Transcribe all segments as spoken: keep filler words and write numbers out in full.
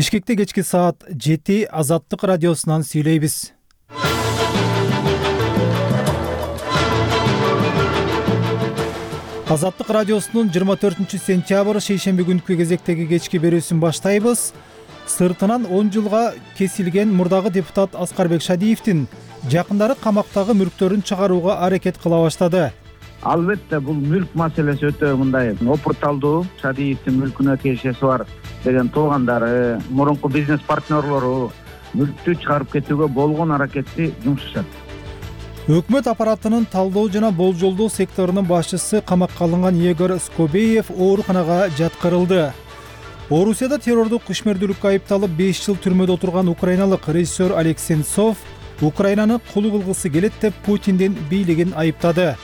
Бишкекте кечки саат жети Азаттык радиосунан сүйлөйбүз. Азаттык радиосунун жыйырма төртүнчү сентябрь шейшемби күнкү кезектеги кечки берүүсүн баштайбыз. Сыртынан он жылга кесилген мурдагы депутат Аскарбек Шадиевдин жакындары камактагы мүлктөрүн чыгарууга аракет кыла баштады. Албетте бул мүлк маселеси өтө мындай опурталдуу. Шадиевдин мүлкүнө тиешеси бар деген туугандары, мурунку бизнес партнерлору мүлктү чыгарып кетүүгө болгон аракетти жумшашат. Өкмөт аппаратынын талдоо жана болжолдоо секторунун башчысы камакка алынган Егор Скобеев ооруканага жаткырылды. Орусияда террордук ишмердүүлүккө айыпталып беш жыл түрмөдө отурган украиналык режиссер Олег Сенцов Украинаны кулу кылгысы келет деп Путиндин бийлигин айыптады.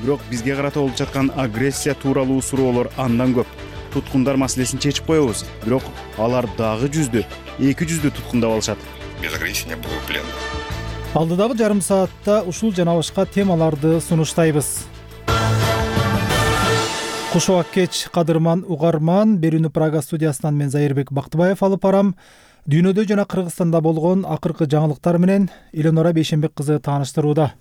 Бирок бизге карата болуп жаткан агрессия тууралуу суроолор андан көп. Туткундар маселесин чечип коебуз. Бирок алар дагы жүздү, эки жүздү туткундап алышат. Без ограничения был плен. Алдыдагы жарым саатта ушул жана башка темаларды сунуштайбыз. Куш убак кеч, кадырман угарман. Берүүнү Прага студиясынан мен Зайырбек Бактыбаев алып барам. Дүйнөдө жана Кыргызстанда болгон акыркы жаңылыктар менен Эленора Бейшенбек кызы тааныштырууда.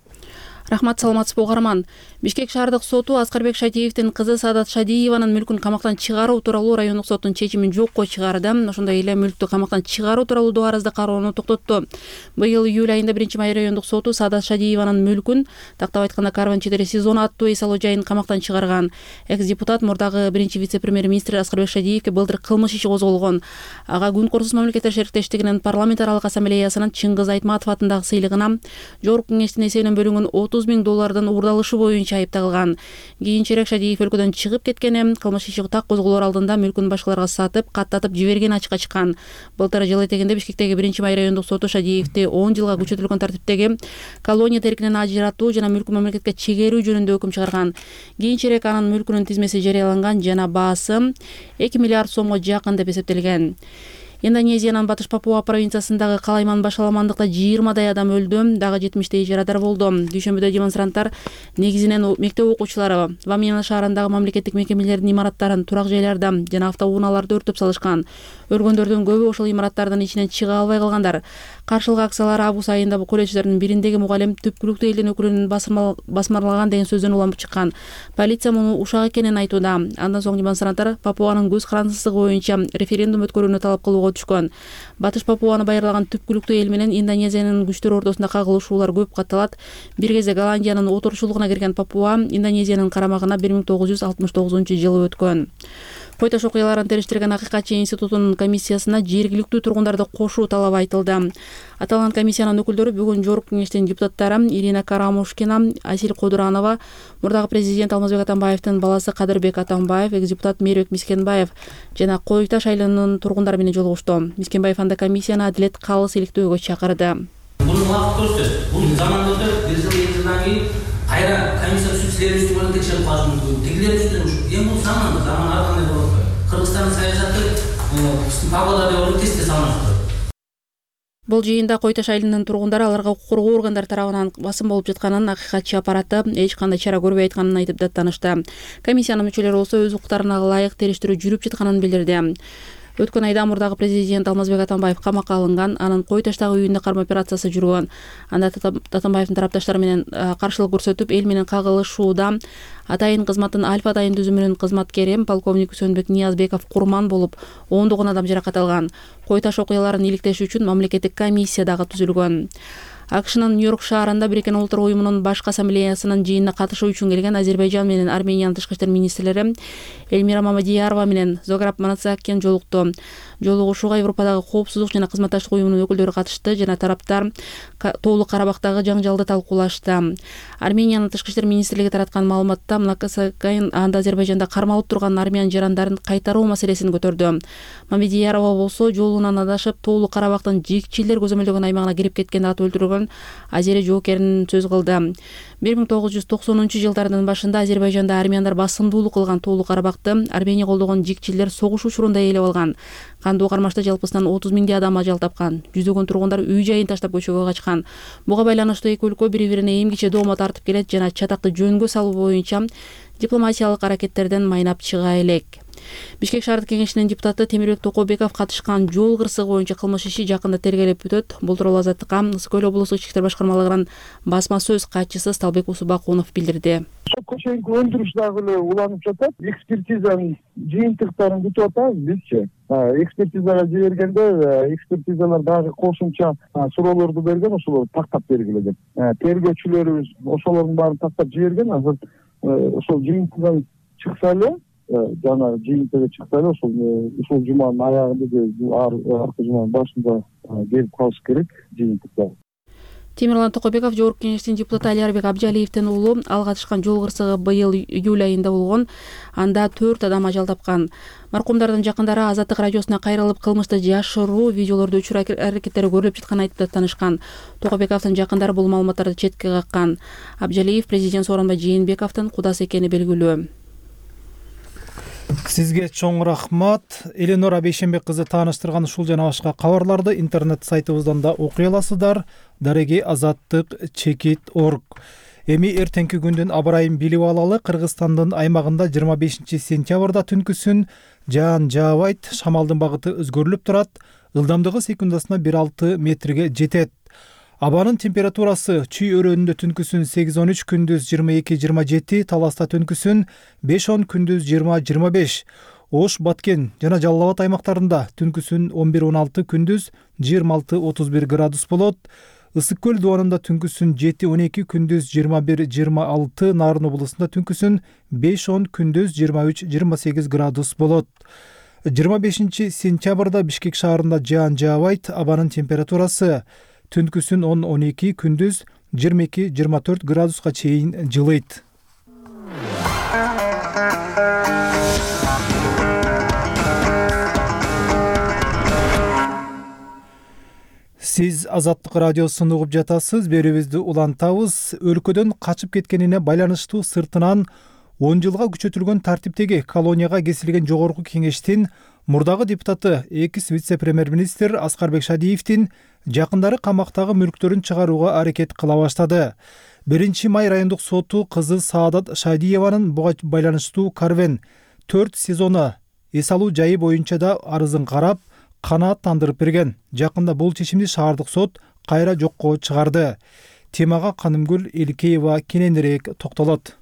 Рахмат, саламатсызбы угарман. Бишкек шаардык соту Аскарбек Шадиевдин кызы Саадат Шадиеванын мүлкүн камактан чыгаруу тууралуу райондук соттун чечимин жокко чыгарды. Ошондой эле мүлктү камактан чыгаруу тууралуу доо арызды кароону токтотту. Быйыл июль айында биринчи май райондук соту Саадат Шадиеванын мүлкүн, тактап айтканда Карван четири сезон аттуу эс алуу жайын камактан чыгарган. Экс-депутат мурдагы биринчи вице-премьер-министр Аскарбек Шадиевге былтыр кылмыш иши козголгон. Ага Күн Корсуз мамлекеттер шериктештигинин парламентаралык ассамблеясынын Чыңгыз Айтматов атындагы сыйлыгына Жогорку кеңештин эсебинен бөлүнгөн отуз миң доллардын уурдалышы боюнча айыпталган. Кийинчерээк Шадиев өлкөдөн чыгып кеткен, кылмыш иши так козголоор алдында мүлкүн башкаларга сатып, каттатып жиберген ачыкка чыккан. Былтыр жыл этегинде Бишкектеги биринчи май райондук соту Шадиевди он жылга күчөтүлгөн тартиптеги колония теркинен ажыратуу жана мүлкүн мамлекетке чегерүү жөнүндө өкүм чыгарган. Кийинчерээк анын мүлкүнүн тизмеси жарыяланган жана баасы эки миллиард сомго жакын деп эсептелген. Индонезиянын Батыш Папуа провинциясындагы Калайман башаламандыкта жыйырмадай адам өлдү, дагы жетимиштей жарадар болду. Дүйшөмбүдө демонстранттар негизинен мектеп окуучулары Вамена шаарындагы мамлекеттик мекемелердин имараттарын, турак жайларда жана автоунааларды өртөп салышкан. Өлгөндөрдүн көбү ошол имараттардын ичинен чыга албай калгандар. Каршылык акциялар август айында колледждердин бириндеги мугалим түпкүлүктүү элдин өкүлүн басмарлаган деген сөздөн улам чыккан. Полиция муну ушак экенин айтууда. Андан соң демонстранттар Папуанын көз карандысыздыгы боюнча референдум өткөрүүнү талап кылууга түшкөн. Батыш Папуаны байырлаган түпкүлүктүү эл менен Индонезиянын күчтөр ортосунда кагылышуулар көп катталат. Бир кезде Голландиянын отурушчулугуна кирген Папуа Индонезиянын карамагына бир миң тогуз жүз алтымыш тогузунчу жылы өткөн. Кой таш окуяларын териштирген Акыйкатчы институтунун комиссиясына жергиликтүү тургундарды кошуу талабы айтылды. Аталган комиссиянын өкүлдөрү бүгүн Жогорку кеңештин депутаттары Ирина Карамушкина, Асил Кодуранова, мурдагы президент Алмазбек Атамбаевдин баласы Кадырбек Атамбаев, экс-депутат Мээрбек Мискенбаев жана Кой таш айылынын тургундары менен жолугушту. Мискенбаев анда комиссияны адилет калыс иликтөөгө чакырды. Бул убакыт көрсөтөт. Бул заман өтөт, бир жыл эки жылдан кийин кайра комиссия түзүп силер үстүнөн текшерип калышы мүмкүн. Тегилер үстүнөн эми бул заман, заман ар кандай болот. Кыргызстандын саясаты биздин Павлодарда болуп тесте салынат. Бул жыйында Кой таш айылынын тургундары аларга укук коргоо органдары тарабынан басым болуп жатканын, Акыйкатчы аппараты эч кандай чара көрбөй айтканын айтып даттанышты. Комиссиянын мүчөлөрү болсо өз укуктарына ылайык териштирүү жүрүп жатканын билдирди. Өткөн айда мурдагы президент Алмазбек Атамбаев камакка алынган, анын Кой таштагы үйүндө карма операциясы жүргөн. Анда Атамбаевдин тарапташтары менен каршылык көрсөтүп, эл менен кагылышууда атайын кызматтын Альфа атайын түзүмүнүн кызматкери полковник Үсөнбек Ниязбеков курман болуп, ондогон адам жаракат алган. Кой таш окуяларын иликтеш үчүн мамлекеттик комиссия дагы түзүлгөн. АКШнын Нью-Йорк шаарында Бириккен Улуттар уюмунун башкы ассамблеясынын жыйынына катышуу үчүн келген Азербайжан менен Армениянын тышкы иштер министрлери Эльмира Мамадиярова менен Зограб Манацакян жолукту. Жолугушууга Европадагы коопсуздук жана кызматташтык уюмунун өкүлдөрү катышты жана тараптар Тоолук Карабактагы жаңжалды талкуулашты. Армениянын тышкы иштер министрлиги тараткан маалыматта Манацакян анда Азербайжанда кармалып турган армян жарандарын кайтаруу маселесин көтөрдү. Мамадиярова болсо жолунан адашып Тоолук Карабактын жигчилер көзөмөлдөгөн аймагына кирип кеткенди атып өлтүргөн Азери жоокерин сөз кылды. бир миң тогуз жүз токсонунчу жылдардын башында Азербайжанда армяндар басымдуулук кылган Тоолук Карабакты Армения колдогон жигчилер согуш учурунда ээлеп алган. Кандуу кармашта жалпысынан отуз миңдей адам ажал тапкан. Жүздөгөн тургундар үй жайын таштап көчөгө качкан. Буга байланыштуу эки өлкө бири-бирине эмгиче доомат тартып келет жана чатакты жөнгө салуу боюнча дипломатиялык аракеттерден майнап чыга элек. Бишкек шаардык кеңешинин депутаты Темирбек Токобеков катышкан жол кырсыгы боюнча кылмыш иши жакында тергелеп өтөт. Бул тууралуу Азаттыкка Ысык Көл облустук ички иштер башкармалыгынын басма сөз катчысы Сталбек Усубакунов билдирди. Сотко чейинки өндүрүш дагы эле уланып жатат. Экспертизанын жыйынтыктарын күтүп атабыз бизчи. Экспертизага жибергенде экспертизалар дагы кошумча суроолорду берген, ошолорду тактап бергиле деп. Тергөөчүлөрүбүз ошолордун баарын тактап жиберген. Азыр ошол жыйынтыган чыкса эле, жана жыйынтыгы чыкса эле ошол ушул жуманын аягында же аркы жуманын башында берип калыш керек жыйынтыктар. Темирлан Токобеков жогорку кеңештин депутаты Алиарбек Абдиалиевдин уулу. Ал катышкан жол кырсыгы быйыл июль айында болгон. Анда төрт адам ажал тапкан. Маркумдардын жакындары Азаттык радиосуна кайрылып, кылмышты жашыруу видеолорду өчүрүү аракеттери көрүлүп жатканын айтып таанышкан. Токобековдун жакындары бул маалыматтарды четке каккан. Абдиалиев президент Сооронбай Жээнбековдун кудасы экени белгилүү. Сизге чоң рахмат. Эленора Бейшенбек кызы тааныштырган ушул жана башка кабарларды интернет сайтыбыздан да окуй аласыздар. Дареги азаттык чекит точка орг. Эми эртеңки күндүн аба ырайын билип алалы. Кыргызстандын аймагында жыйырма бешинчи сентябрда түнкүсүн жаан жаабайт, шамалдын багыты өзгөрүлүп турат. Ылдамдыгы секундасына бир алты метрге жетет. Абанын температурасы Чүй өрөөнүндө түнкүсүн сегиз он үч, күндүз жыйырма эки жыйырма жети, Таласта түнкүсүн беш он, күндүз жыйырма жыйырма беш. Ош, Баткен жана Жалал Абад аймактарында түнкүсүн он бир он алты, күндүз жыйырма алты отуз бир градус болот. Ысык Көл дубанында түнкүсүн жети он эки, күндүз жыйырма бир жыйырма алты, Нарын облусунда түнкүсүн беш он, күндүз жыйырма үч жыйырма сегиз градус болот. жыйырма бешинчи сентябрда Бишкек шаарында жаан жаабайт. Абанын температурасы түнкүсүн он он эки, күндүз жыйырма эки жыйырма төрт градуска чейин жылыйт. Сиз Азаттык радиосун угуп жатасыз. Берүүбүздү улантабыз. Өлкөдөн качып кеткенине байланыштуу сыртынан он жылга күчөтүлгөн тартиптеги колонияга кесилген жогорку кеңештин мурдагы депутаты экс вице-премьер-министр Аскарбек Шадиевдин жакындары камактагы мүлктөрүн чыгарууга аракет кыла баштады. биринчи май райондук соту кызы Саадат Шадиеванын буга байланыштуу Карвен төрт сезону эс алуу жайы боюнча да арызын карап, канааттандырып берген. Жакында бул чечимди шаардык сот кайра жокко чыгарды. Темага Канымгүл Элкеева кененирээк токтолот.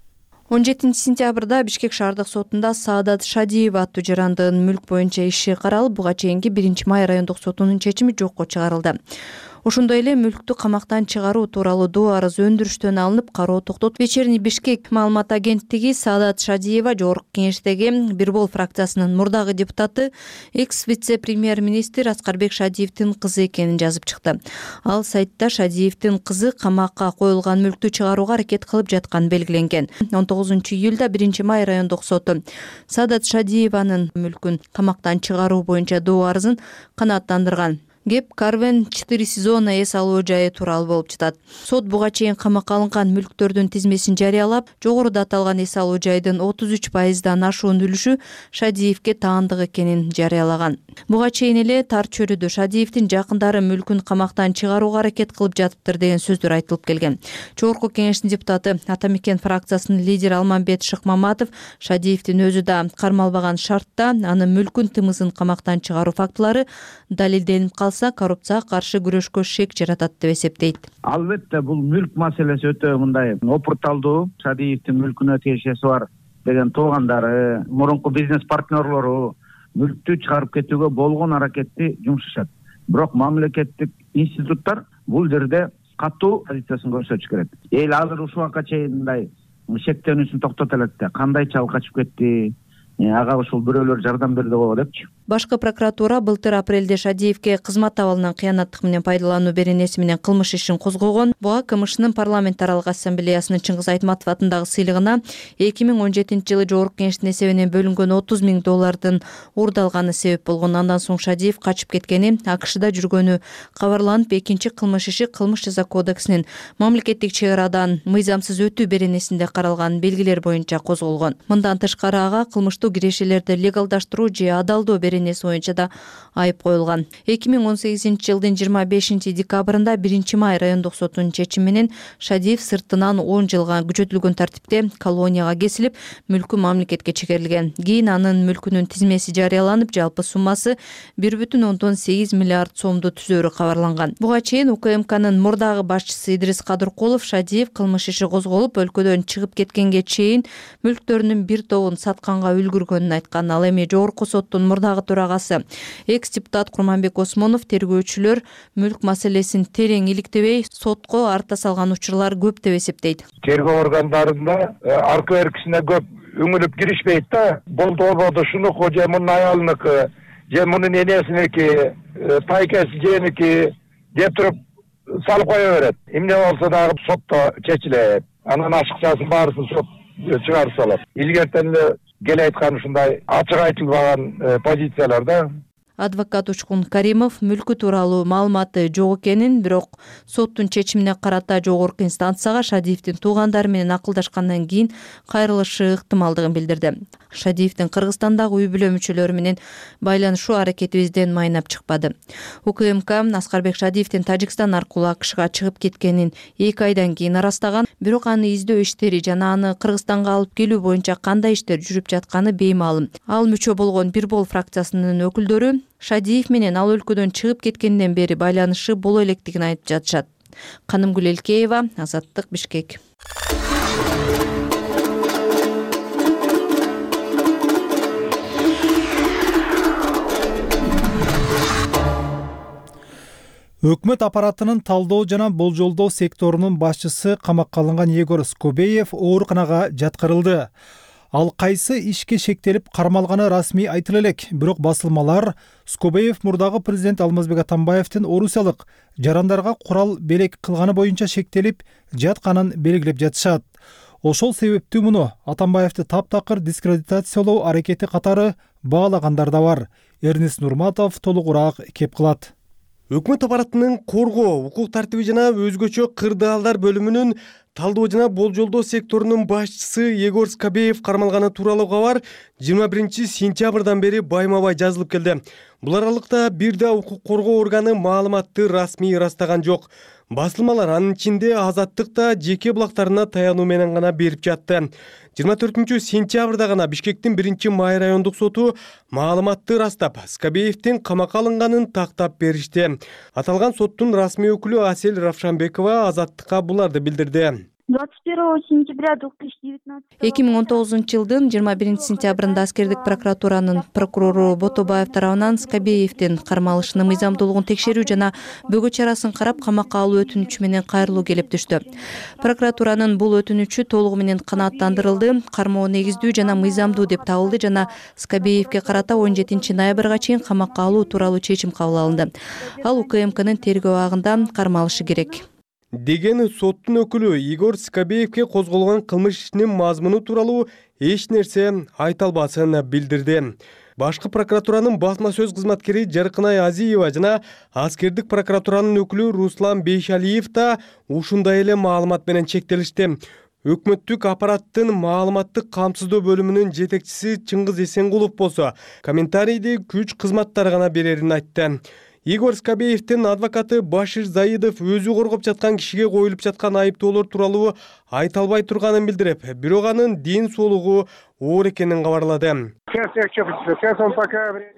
он жетинчи сентябрда Бишкек шаардык сотунда Саадат Шадиева аттуу жарандын мүлк боюнча иши каралып, буга чейинки биринчи май райондук сотунун чечими жокко чыгарылды. Ошондой эле мүлктү камактан чыгаруу тууралуу доо арыз өндүрүштөн алынып, кароо токтотулду. Вечерний Бишкек маалымат агенттиги Саадат Шадиева жогорку кеңештеги Бирбол фракциясынын мурдагы депутаты, экс вице-премьер-министр Аскарбек Шадиевдин кызы экенин жазып чыкты. Ал сайтта Шадиевдин кызы камакка коюлган мүлктү чыгарууга аракет кылып жатканы белгиленген. он тогузунчу июлда биринчи май райондук соту Саадат Шадиеванын мүлкүн камактан чыгаруу боюнча доо арызын канааттандырган. Кеп Карвен четыре сезона эс алуу жайы тууралуу болуп жатат. Сот буга чейин камакка алынган мүлктөрдүн тизмесин жарыялап, жогоруда аталган эс алуу жайдын отуз үч пайыздан ашуун үлүшү Шадиевге таандык экенин жарыялаган. Буга чейин эле тар чөйрөдө Шадиевдин жакындары мүлкүн камактан чыгарууга аракет кылып жатыптыр деген сөздөр айтылып келген. Жогорку кеңештин депутаты Атамекен фракциясынын лидери Алмамбет Шыкмаматов Шадиевдин өзү да кармалбаган шартта анын мүлкүн тымызын камактан чыгаруу фактылары далилденип калса, коррупцияга каршы күрөшкө шек жаратат деп эсептейт. Албетте бул мүлк маселеси өтө мындай опурталдуу. Шадиевдин мүлкүнө тиешеси бар деген туугандары, мурунку бизнес партнерлору мүлктү чыгарып кетүүгө болгон аракетти жумшашат. Бирок мамлекеттик институттар бул жерде катуу позициясын көрсөтүш керек. Эл азыр ушул убакка чейин мындай шектенүүсүн токтото элек да, кандайча ал качып кетти, ага ушул бирөөлөр жардам берди го депчи. Башкы прокуратура былтыр апрелде Шадиевге кызмат абалынан кыянаттык менен пайдалануу беренеси менен кылмыш ишин козгогон. Буга КМШнын парламентаралык ассамблеясынын Чыңгыз Айтматов атындагы сыйлыгына эки миң он жетинчи жылы жогорку кеңештин эсебинен бөлүнгөн отуз миң доллардын уурдалганы себеп болгон. Андан соң Шадиев качып кеткени, АКШда жүргөнү кабарланып, экинчи кылмыш иши Кылмыш жаза кодексинин мамлекеттик чек арадан мыйзамсыз өтүү беренесинде каралган белгилер боюнча козголгон. Мындан тышкары ага кылмыштуу кирешелерди легалдаштыруу же адалдоо беренеси беренеси боюнча да айып коюлган. эки миң он сегизинчи жылдын жыйырма бешинчи декабрында биринчи май райондук сотунун чечими менен Шадиев сыртынан он жылга күчөтүлгөн тартипте колонияга кесилип, мүлкү мамлекетке чегерилген. Кийин анын мүлкүнүн тизмеси жарыяланып, жалпы суммасы бир бүтүн ондон сегиз миллиард сомду түзөрү кабарланган. Буга чейин УКМКнын мурдагы башчысы Идрис Кадыркулов Шадиев кылмыш иши козголуп, өлкөдөн чыгып кеткенге чейин мүлктөрүнүн бир тобун сатканга үлгүргөнүн айткан. Ал эми жогорку соттун мурдагы төрагасы экс-депутат Курманбек Осмонов тергөөчүлөр мүлк маселесин терең иликтебей, сотко арта салган учурлар көп деп эсептейт. Тергөө органдарында арка беркисине көп үңүлүп киришпейт да. Болду болбоду шунуку же мунун аялыныкы, же мунун энесиники, тайкеси женики деп туруп салып кое берет. Эмне болсо дагы сотто чечилет. Анан ашыкчасын баарысын сот чыгарып салат. Илгертен эле кел айткан ушундай ачык айтылбаган позициялар да. Адвокат Учкун Каримов мүлкү тууралуу маалыматы жок экенин, бирок соттун чечимине карата жогорку инстанцияга Шадиевдин туугандары менен акылдашкандан кийин кайрылышы ыктымалдыгын билдирди. Шадиевдин Кыргызстандагы үй бүлө мүчөлөрү менен байланышуу аракетибизден майнап чыкпады. УКМК Аскарбек Шадиевдин Тажикстан аркылуу АКШга чыгып кеткенин эки айдан кийин арастаган, бирок аны издөө иштери жана аны Кыргызстанга алып келүү боюнча кандай иштер жүрүп жатканы беймаалым. Ал мүчө болгон Бир Бол фракциясынын өкүлдөрү Шадиев менен ал өлкөдөн чыгып кеткенден бери байланышы боло электигин айтып жатышат. Канымгүл Элкеева, Азаттык, Бишкек. Өкмөт аппаратынын талдоо жана болжолдоо секторунун башчысы камакка алынган Егор Скобеев ооруканага жаткырылды. Ал кайсы ишке шектелип кармалганы расмий айтыла элек, бирок басылмалар Скобеев мурдагы президент Алмазбек Атамбаевдин орусиялык жарандарга курал белек кылганы боюнча шектелип жатканын белгилеп жатышат. Ошол себептүү муну Атамбаевди таптакыр дискредитациялоо аракети катары баалагандар да бар. Эрнис Нурматов толугураак кеп кылат. Өкмөт аппаратынын коргоо, укук тартиби жана өзгөчө кырдаалдар бөлүмүнүн талдоо жана болжолдоо секторунун башчысы Егор Скобеев кармалганы тууралуу кабар жыйырма биринчи сентябрдан бери байма-бай жазылып келди. Бул аралыкта бир да укук коргоо органы маалыматты расмий ырастаган жок. Басылмалар анын ичинде Азаттык да жеке булактарына таянуу менен гана берип жатты. жыйырма төртүнчү сентябрда гана Бишкектин биринчи май райондук соту маалыматты ырастап, Скобеевдин камакка алынганын тактап беришти. Аталган соттун расмий өкүлү Асель Равшанбекова Азаттыкка буларды билдирди. двадцать первого сентября две тысячи девятнадцатого эки миң он тогузунчу жылдын жыйырма биринчи сентябрында аскердик прокуратуранын прокурору Ботобаев тарабынан Скобеевдин кармалышынын мыйзамдуулугун текшерүү жана бөгөө чарасын карап камакка алуу өтүнүчү менен кайрылуу келип түштү. Прокуратуранын бул өтүнүчү толугу менен канааттандырылды, кармоо негиздүү жана мыйзамдуу деп табылды жана Скобеевге карата он жетинчи ноябрга чейин камакка алуу тууралуу чечим кабыл алынды. Ал УКМКнын тергөө абагында кармалышы керек деген соттун өкүлү Егор Скобеевге козголгон кылмыш ишинин мазмуну тууралуу эч нерсе айта албасын билдирди. Башкы прокуратуранын басма сөз кызматкери Жаркынай Азиева жана аскердик прокуратуранын өкүлү Руслан Бейшалиев да ушундай эле маалымат менен чектелишти. Өкмөттүк аппараттын маалыматтык камсыздоо бөлүмүнүн жетекчиси Чыңгыз Эсенгулов болсо комментарийди күч кызматтары гана берерин айтты. Егор Скобеевдин адвокаты Башир Заидов өзү коргоп жаткан кишиге коюлуп жаткан айыптоолор тууралуу айта албай турганын билдирип, бирок анын ден соолугу оор экенин кабарлады.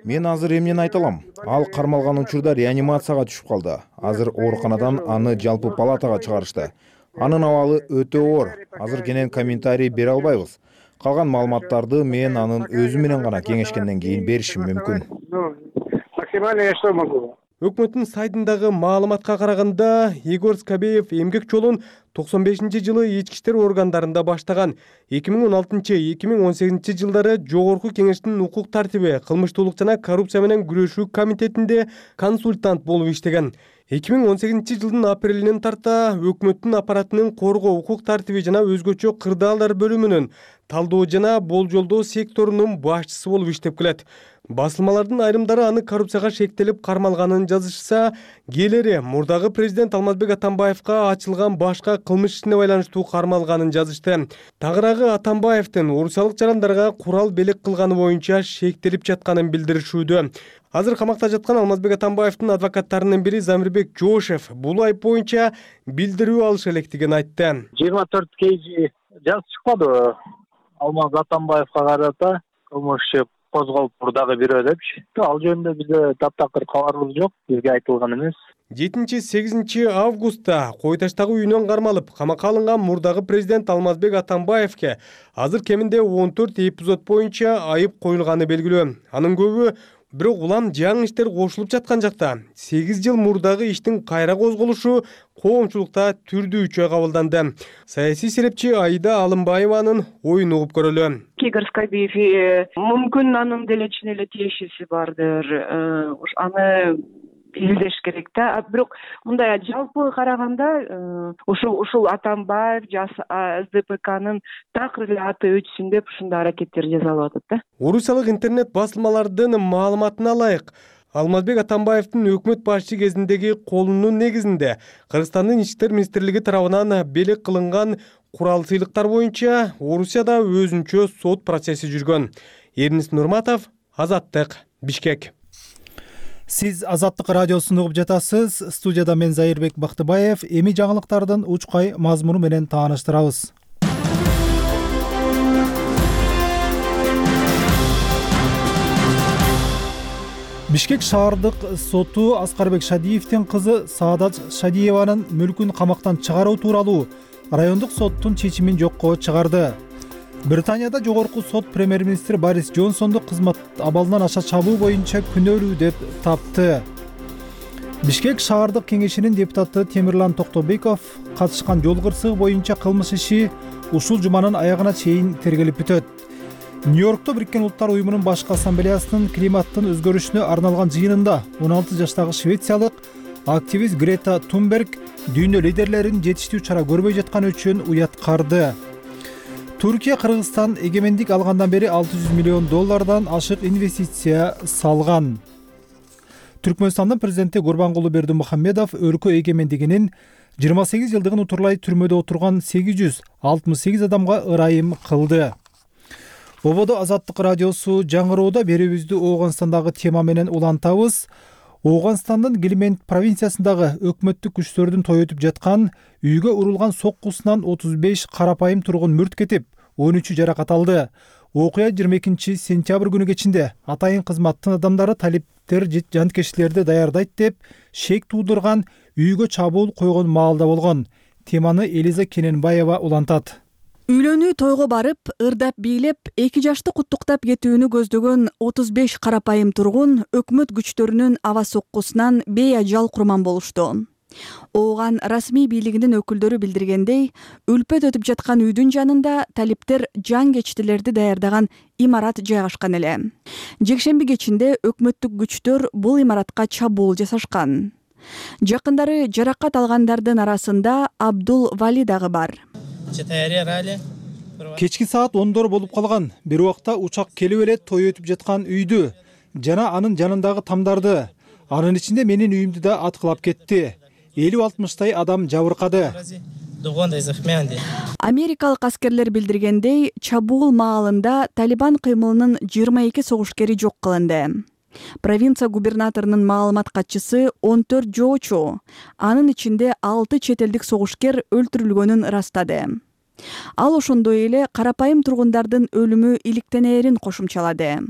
Мен азыр эмнени айта алам? Ал кармалган учурда реанимацияга түшүп калды. Азыр ооруканадан аны жалпы палатага чыгарышты. Анын абалы өтө оор. Азыр кенен комментарий бере албайбыз. Калган маалыматтарды мен анын өзү менен гана кеңешкенден кийин беришим мүмкүн. Өкмөттүн сайтындагы маалыматка караганда Егор Скобеев эмгек жолун токсон бешинчи жылы ички иштер органдарында баштаган. эки миң он алтынчы — эки миң он сегизинчи жылдары Жогорку кеңештин укук тартиби, кылмыштуулук жана коррупция менен күрөшүү комитетинде консультант болуп иштеген. эки миң он сегизинчи жылдын апрелинен тарта өкмөттүн аппаратынын коргоо, укук тартиби жана өзгөчө кырдаалдар бөлүмүнүн талдоо жана болжолдоо секторунун башчысы болуп иштеп келет. Басылмалардын айрымдары аны коррупцияга шектелип кармалганын жазышса, кээлери мурдагы президент Алмазбек Атамбаевка ачылган башка кылмыш ишине байланыштуу кармалганын жазышты. Тагыраагы Атамбаевдин орусиялык жарандарга курал белек кылганы боюнча шектелип жатканын билдиришүүдө. Азыр камакта жаткан Алмазбек Атамбаевдин адвокаттарынын бири Замирбек Жошев бул айып боюнча билдирүү алыша электигин айтты. жыйырма төрт кж жазып чыкпадыбы Алмаз Атамбаевка карата кылмыш иши козголуптур дагы бирөө депчи. Ал жөнүндө бизде таптакыр кабарыбыз жок, бизге айтылган эмес. жетинчи сегизинчи августта Кой Таштагы үйүнөн кармалып камакка алынган мурдагы президент Алмазбек Атамбаевке азыр кеминде он төрт эпизод боюнча айып коюлганы белгилүү. Анын көбү бирок улам жаңы иштер кошулуп жаткан жакта сегиз жыл мурдагы иштин кайра козголушу коомчулукта түрдүүчө кабылданды. Саясий серепчи Аида Алымбаеванын оюн угуп көрөлү. Игорь Скобеев мүмкүн анын деле ичине эле тиешеси бардыр. Аны издеш керек да. Бирок мындай жалпы караганда ушул ушул Атамбаев эс дэ пэ кнын такыр эле аты өтсүн деп ушундай аракеттер жасалып атат да. Орусиялык интернет басылмалардын маалыматына ылайык, Алмазбек Атамбаевдин өкмөт башчы кезиндеги колунун негизинде Кыргызстандын ички иштер министрлиги тарабынан белек кылынган курал сыйлыктар боюнча Орусияда өзүнчө сот процесси жүргөн. Эрнис Нурматов, Азаттык, Бишкек. Сиз Азаттык радиосун угуп жатасыз. Студияда мен Зайырбек Бактыбаев. Эми жаңылыктардын учкай мазмуну менен тааныштырабыз. Бишкек шаардык соту Аскарбек Шадиевдин кызы Саадат Шадиеванын мүлкүн камактан чыгаруу тууралуу райондук соттун чечимин жокко чыгарды. Британияда жогорку сот премьер-министр Борис Джонсонду кызмат абалынан аша чабуу боюнча күнөөлүү деп тапты. Бишкек шаардык кеңешинин депутаты Темирлан Токтобеков катышкан жол кырсыгы боюнча кылмыш иши ушул жуманын аягына чейин тергелип бүтөт. Нью-Йоркто Бириккен Улуттар уюмунун башкы ассамблеясынын климаттын өзгөрүшүнө арналган жыйынында он алты жаштагы швециялык активист Грета Тунберг дүйнө лидерлеринин жетиштүү чара көрбөй жатканы үчүн уяткарды. Түркия Кыргызстан эгемендик алгандан бери алты жүз миллион доллардан ашык инвестиция салган. Түркмөнстандын президенти Гурбангулы Бердимухамедов өлкө эгемендигинин жыйырма сегиз жылдыгын утурлай түрмөдө отурган сегиз жүз алтымыш сегиз адамга ырайым кылды. Ободо Азаттык радиосу жаңыроодо берүүбүздү Ооганстандагы тема менен улантабыз. Ооганстандын Гилмент провинциясындагы өкмөттүк күчтөрдүн той өтүп жаткан үйгө урулган соккусунан отуз беш карапайым тургун мүрт кетип, он үчү жаракат алды. Окуя жыйырма экинчи сентябрь күнү кечинде атайын кызматтын адамдары талиптер жанкечтилерди даярдайт деп шек туудурган үйгө чабуул койгон маалда болгон. Теманы Элиза Кененбаева улантат. Үйлөнүү тойго барып, ырдап бийлеп, эки жашты куттуктап кетүүнү көздөгөн отуз беш карапайым тургун өкмөт күчтөрүнүн аба соккусунан бейажал курман болушту. Ооган расмий бийлигинин өкүлдөрү билдиргендей, үлпөт өтүп жаткан үйдүн жанында талиптер жан кечтилерди даярдаган имарат жайгашкан эле. Жекшемби кечинде өкмөттүк күчтөр бул имаратка чабуул жасашкан. Жакындары жаракат алгандардын арасында Абдул Вали дагы бар. Кечки саат ондор болуп калган. Бир убакта учак келип эле той өтүп жаткан үйдү жана анын жанындагы тамдарды, анын ичинде менин үйүмдү да аткылап кетти. элүү алтымыштай адам жабыркады. Америкалык аскерлер билдиргендей, чабуул маалында Талибан кыймылынын жыйырма эки согушкери жок кылынды. Провинция губернаторунун маалымат катчысы он төрт жоочу, анын ичинде алты чет элдик согушкер өлтүрүлгөнүн ырастады. Ал ошондой эле карапайым тургундардын өлүмү иликтенээрин кошумчалады.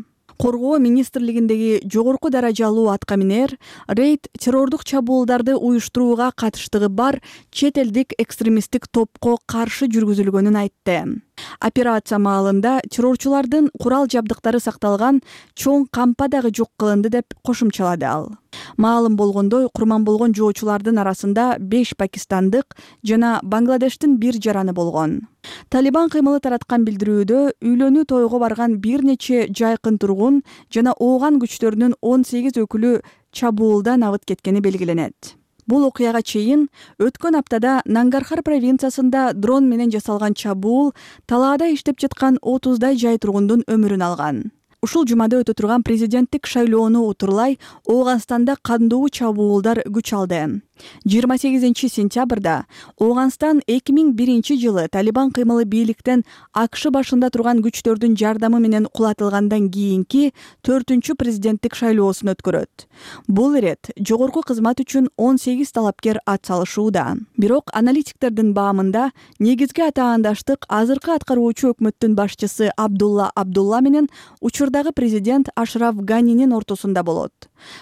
Коргоо министрлигиндеги жогорку даражалуу аткаминер рейд террордук чабуулдарды уюштурууга катыштыгы бар чет элдик экстремисттик топко каршы жүргүзүлгөнүн айтты. Операция маалында террорчулардын курал жабдыктары сакталган чоң кампа дагы жок кылынды деп кошумчалады ал. Маалым болгондой, курман болгон жоочулардын арасында беш пакистандык жана Бангладештин бир жараны болгон. Талибан кыймылы тараткан билдирүүдө үйлөнүү тойго барган бир нече жайкын тургун жана ооган күчтөрүнүн он сегиз өкүлү чабуулдан абыт кеткени белгиленет. Бул окуяга чейин өткөн аптада Нангархар провинциясында дрон менен жасалган чабуул талаада иштеп жаткан отуздай жай тургундун өмүрүн алган. Ушул жумада өтө турган президенттик шайлоону утурлай Ооганстанда кандуу чабуулдар күч алды. жыйырма сегизинчи сентябрда Ооганстан эки миң биринчи жылы Талибан кыймылы бийликтен АКШ башында турган күчтөрдүн жардамы менен кулатылгандан кийинки төртүнчү президенттик шайлоосун өткөрөт. Бул ирет жогорку кызмат үчүн он сегиз талапкер ат салышууда. Бирок аналитиктердин баамында негизги атаандаштык азыркы аткаруучу өкмөттүн башчысы Абдулла Абдулла менен учурдагы президент Ашраф Ганинин ортосунда болот.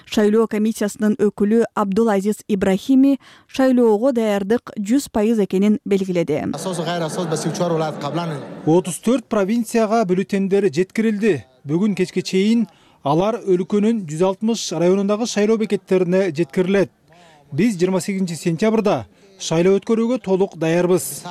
Шайлоо комиссиясынын өкүлү Абдулазиз Ибрахими шайлоого даярдык жүз пайыз экенин белгиледи. отуз төрт провинцияга бюллетендер жеткирилди. Бүгүн кечке чейин алар өлкөнүн жүз алтымыш районундагы шайлоо бекеттерине жеткирилет. Биз жыйырма сегизинчи сентябрда шайлоо өткөрүүгө толук даярбыз.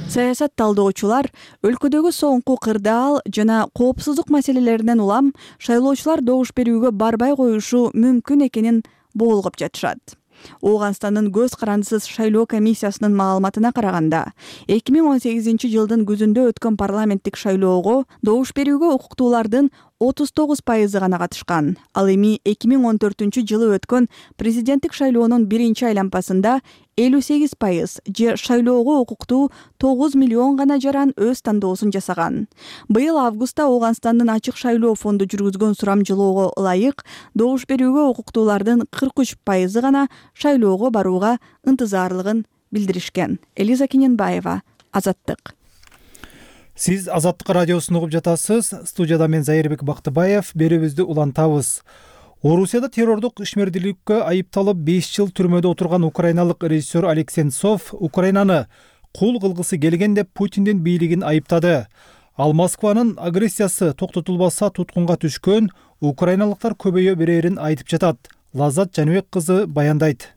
Саясат талдоочулар өлкөдөгү соңку кырдаал жана коопсуздук маселелеринен улам шайлоочулар добуш берүүгө барбай коюшу мүмкүн экенин боолгоп жатышат. Ооганстандын көз карандысыз шайлоо комиссиясынын маалыматына караганда, эки миң он сегизинчи жылдын күзүндө өткөн парламенттик шайлоого добуш берүүгө укуктуулардын отуз тогуз пайызы гана катышкан. Ал эми эки миң он төртүнчү жылы өткөн президенттик шайлоонун биринчи айланпасында элүү сегиз пайыз же шайлоого укуктуу тогуз миллион гана жаран өз тандоосун жасаган. Быйыл августта Ооганстандын ачык шайлоо фонду жүргүзгөн сурамжылоого ылайык добуш берүүгө укуктуулардын кырк үч пайызы гана шайлоого барууга ынтызарлыгын билдиришкен. Элиза Кененбаева, Азаттык. Сиз Азаттык радиосун угуп жатасыз. Студияда мен Зайырбек Бактыбаев. Берүүбүздү улантабыз. Орусияда террордук ишмердүүлүккө айыпталып беш жыл түрмөдө отурган украиналык режиссер Олег Сенцов Украинаны кул кылгысы келген деп Путиндин бийлигин айыптады. Ал Москванын агрессиясы токтотулбаса туткунга түшкөн украиналыктар көбөйө берерин айтып жатат. Лаззат Жаныбек кызы баяндайт.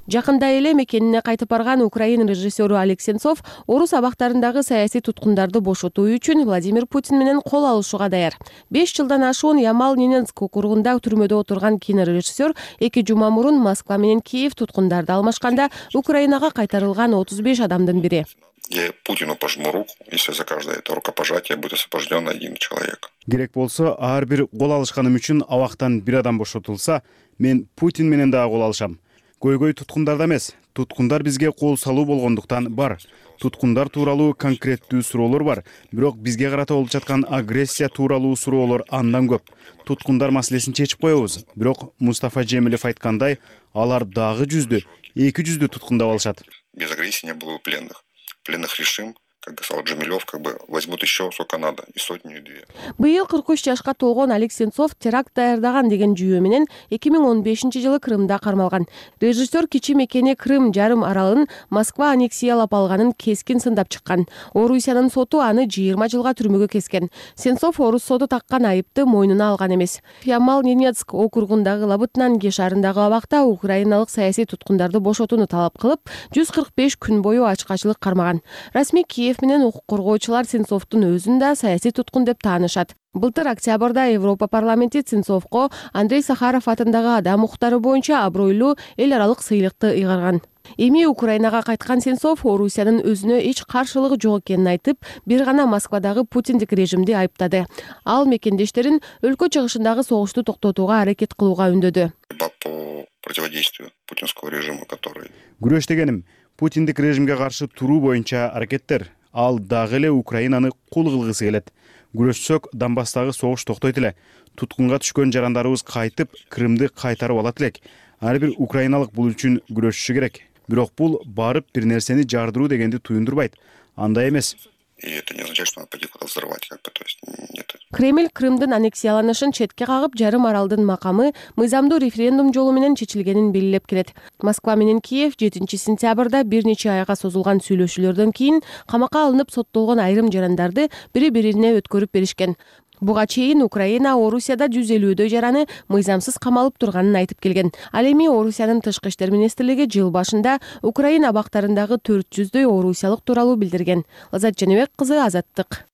Жакында эле мекенине кайтып барган Украина режиссеру Олег Сенцов орус абактарындагы саясий туткундарды бошотуу үчүн Владимир Путин менен кол алышууга даяр. беш жылдан ашуун Ямал-Ненецк округунда түрмөдө отурган кинорежиссер эки жума мурун Москва менен Киев туткундарды алмашканда Украинага кайтарылган отуз беш адамдын бири. Я Путину пожму руку, если за каждое это рукопожатие будет освобожден один человек. Керек болсо, ар бир кол алышканым үчүн абактан бир адам бошотулса, мен Путин менен дагы кол алышам. Көйгөй туткундарда эмес, туткундар бизге кол салуу болгондуктан бар. Туткундар тууралуу конкреттүү суроолор бар, бирок бизге карата болуп жаткан агрессия тууралуу суроолор андан көп. Туткундар маселесин чечип коебуз, бирок Мустафа Жемилев айткандай, алар дагы жүздү, эки жүздү туткундап алышат. Без агрессии не было пленных. Пленных решим, как сказал Джемилев, как бы возьмут еще сколько надо, и сотню, и две. Быйыл кырк үч жашка толгон Олег Сенцов теракт даярдаган деген жүйө менен эки миң он бешинчи жылы Крымда кармалган. Режиссер кичи мекени Крым жарым аралын Москва аннексиялап алганын кескин сындап чыккан. Орусиянын соту аны жыйырма жылга түрмөгө кескен. Сенцов орус соту таккан айыпты мойнуна алган эмес. Ямал-Ненецк округундагы Лабытнанги шаарындагы абакта украиналык саясий туткундарды бошотууну талап кылып, жүз кырк беш күн бою ачкачылык кармаган. Расмий Киев менен укук коргоочулар Сенцовдун өзүн да саясий туткун деп таанышат. Былтыр октябрда Европа парламенти Сенцовго Андрей Сахаров атындагы адам укуктары боюнча абройлуу эл аралык сыйлыкты ыйгарган. Эми Украинага кайткан Сенцов Орусиянын өзүнө эч каршылыгы жок экенин айтып, бир гана Москвадагы путиндик режимди айыптады. Ал мекендештерин өлкө чыгышындагы согушту токтотууга аракет кылууга үндөдү. По противодействию путинского режима, который... Күрөш дегеним Путиндик режимге каршы туруу боюнча аракеттер. Ал дагы эле Украинаны кул кылгысы келет. Күрөшсөк, Донбасстагы согуш токтойт эле. Туткунга түшкөн жарандарыбыз кайтып, Крымды кайтарып алат элек. Ар бир украиналык бул үчүн күрөшүшү керек. Бирок бул барып бир нерсени жардыруу дегенди туюндурбайт. Андай эмес. И это не означает, что надо пойти куда-то взрывать, как бы, то есть нет. Кремль Крымдын аннексияланышын четке кагып, жарым аралдын макамы мыйзамдуу референдум жолу менен чечилгенин белгилеп келет. Москва менен Киев жетинчи сентябрда бир нече айга созулган сүйлөшүүлөрдөн кийин камакка алынып соттолгон айрым жарандарды бири-бирине өткөрүп беришкен. Буга чейин Украина Орусияда жүз элүүдөй жараны мыйзамсыз камалып турганын айтып келген. Ал эми Орусиянын тышкы иштер министрлиги жыл башында Украина абактарындагы төрт жүздөй орусиялык тууралуу билдирген. Лаззат Жаныбек кызы, Азаттык.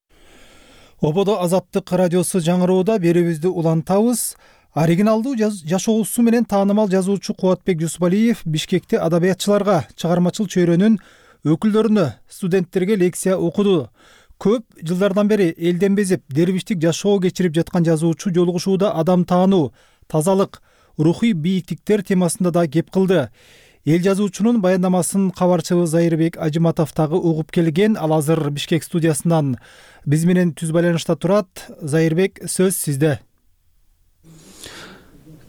Ободо Азаттык радиосу жаңыроодо берүүбүздү улантабыз. Оригиналдуу жашоосу менен таанымал жазуучу Кубатбек Жусупалиев Бишкекте адабиятчыларга, чыгармачыл чөйрөнүн өкүлдөрүнө, студенттерге лекция окуду. Көп жылдардан бери элден безип, дербиштик жашоо кечирип жаткан жазуучу жолугушууда адам таануу, тазалык, рухий бийиктиктер темасында да кеп кылды. Эл жазуучунун баяндамасын кабарчыбыз Зайырбек Ажыматов дагы угуп келген. Ал азыр Бишкек студиясынан биз менен түз байланышта турат. Зайырбек, сөз сизде.